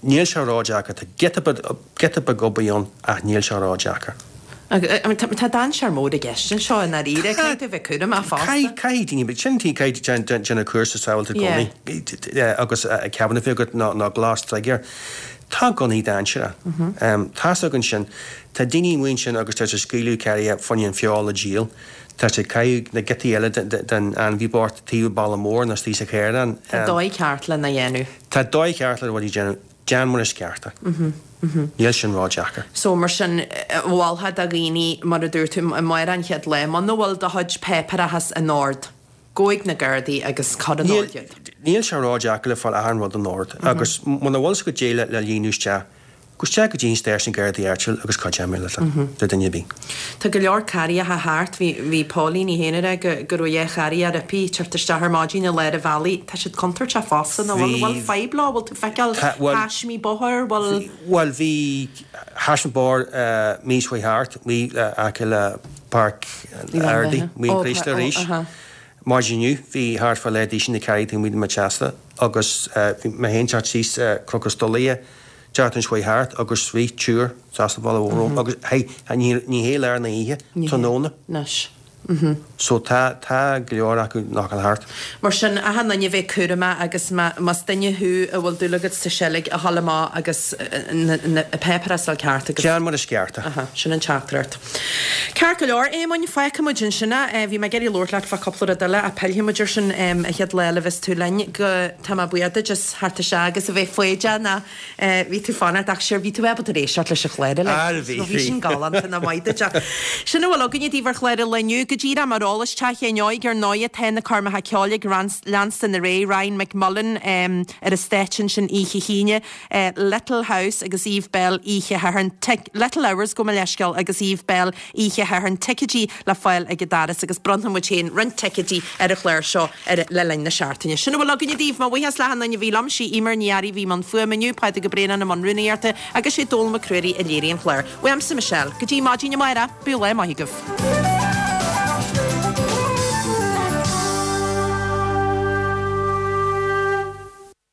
Níl sé ródheacair. Tá giota beag, giota beag obair ann ach níl sé ródheacair. Tá dainséar mór i gceist anseo i ndáiríre. Caithfidh tú a bheith cúramach fosta. Caithfidh, caithfidh daoine, but sin tí, caithfidh tú déanamh cúrsa sábháilte i gcónaí agus ceadúnas a bheith agat nó glas trigger. Tá gunnaí dainséarach. Tá's againn sin. Tá daoine amuigh ansin agus tá siad ag scaoileadh carraithe fá choinne an feoil a dhíol. Tá siad ag caitheamh na giotaí eile den ainmhí bocht taobh an bhalla mór nó istigh sa chaorán. Tá dóigh ceart lena dhéanamh. Tá dóigh ceart le rudaí a dhéanamh. Déan mar is ceart é. Níl sin ródheacair. So mar sin, mholfá do dhaoine, mar a dúirt tú, amárach an chéad lá, muna bhfuil do chuid páipéarachas in ord, gabh chuig na Gardaí agus cuir in ord iad. Níl sé ródheacair le fáil achan rud in ord agus muna bhfuil 's agat caidé le líonadh isteach, Gabh isteach go dtí an stáisiún Gardaí áitiúil agus cuideoidh mé leat le duine ar bith. Tá go leor carraíocha thart. Bhí bhí Pauline í féin ag rá go go raibh dhá charraíoch roimpi ag teacht isteach ar maidin i lár an bhealaigh. Tá siad contúirteach fosta, nach bhfuil? Bhfuil fadhb leo? Bhfuil tú ag feiceáil taismí bóthair? Bhfuil. Bhuel bhí taisme bóthair mí seo thart, mí aice le Páirc an Ardaí, Maigh an Chríosta arís. Maidin inniu bhí thart fá leath duisín de carraí taobh amuigh de mo theachsa agus bhí mé féin teacht síos Cnoc an Stolaire Seachtain seo thart agus rith triúr trasna an bhealaigh romham agus hey, ní hé lár na hoíche, tráthnóna. Anois. Mhm. So tá, tá go leor acu nach bhfuil thart. Mar sin, achan duine bheith cúramach agus má, más duine thú a bhfuil dúil agat sa seilg a dhul amach agus na, na páipéir a fháil ceart agus. Déan mar is ceart é. Aha, sin an teachtaireacht. Ceart go leor, Éamoinn, fágfaidh muid ansin é. Bhí mé ag iarraidh labhairt leat fá cúpla rud eile ach pillfidh muid air sin an chéad lá eile a bheas tú linn. Go, tá mé buíoch duit as theacht isteach agus a bheith foighdeach ná Bhí tú fanacht ach sure bhí tú ábalta éisteacht leis an chlár uilig. Ar bhí, Bhí bhí. sin galánta nach maith duit ach sin a bhfuil againne daoibh ar chlár an lae inniu. Go díreach mar eolas, Teach Éinne Óig ar ndóighe tá na coirmeacha ceoil ag leanstan ar aghaidh, Ryan McMullen ar an stáitse ansin oíche hAoine, Little House agus Eve Belle oíche Shathairn, Little Hours gabh mo leithscéal agus Eve Belle oíche Shathairn, ticéidí le fáil ag an doras agus bronnfaidh muid féin roinnt ticéidí ar an chlár seo ar le linn na seachtaine. Sin a bhfuil againne daoibh. Mo bhuíochas le achan duine a bhí liom. Sí Eimear Ní Fhearraigh a bhí i mbun fuaime inniu, Pádraig Ó Braonáin i mbun rúnaíochta agus sé Dónall Mac Ruairí a léirigh an clár. Uaimse Michelle. Go dtí maidin amárach, bíodh lá maith agaibh.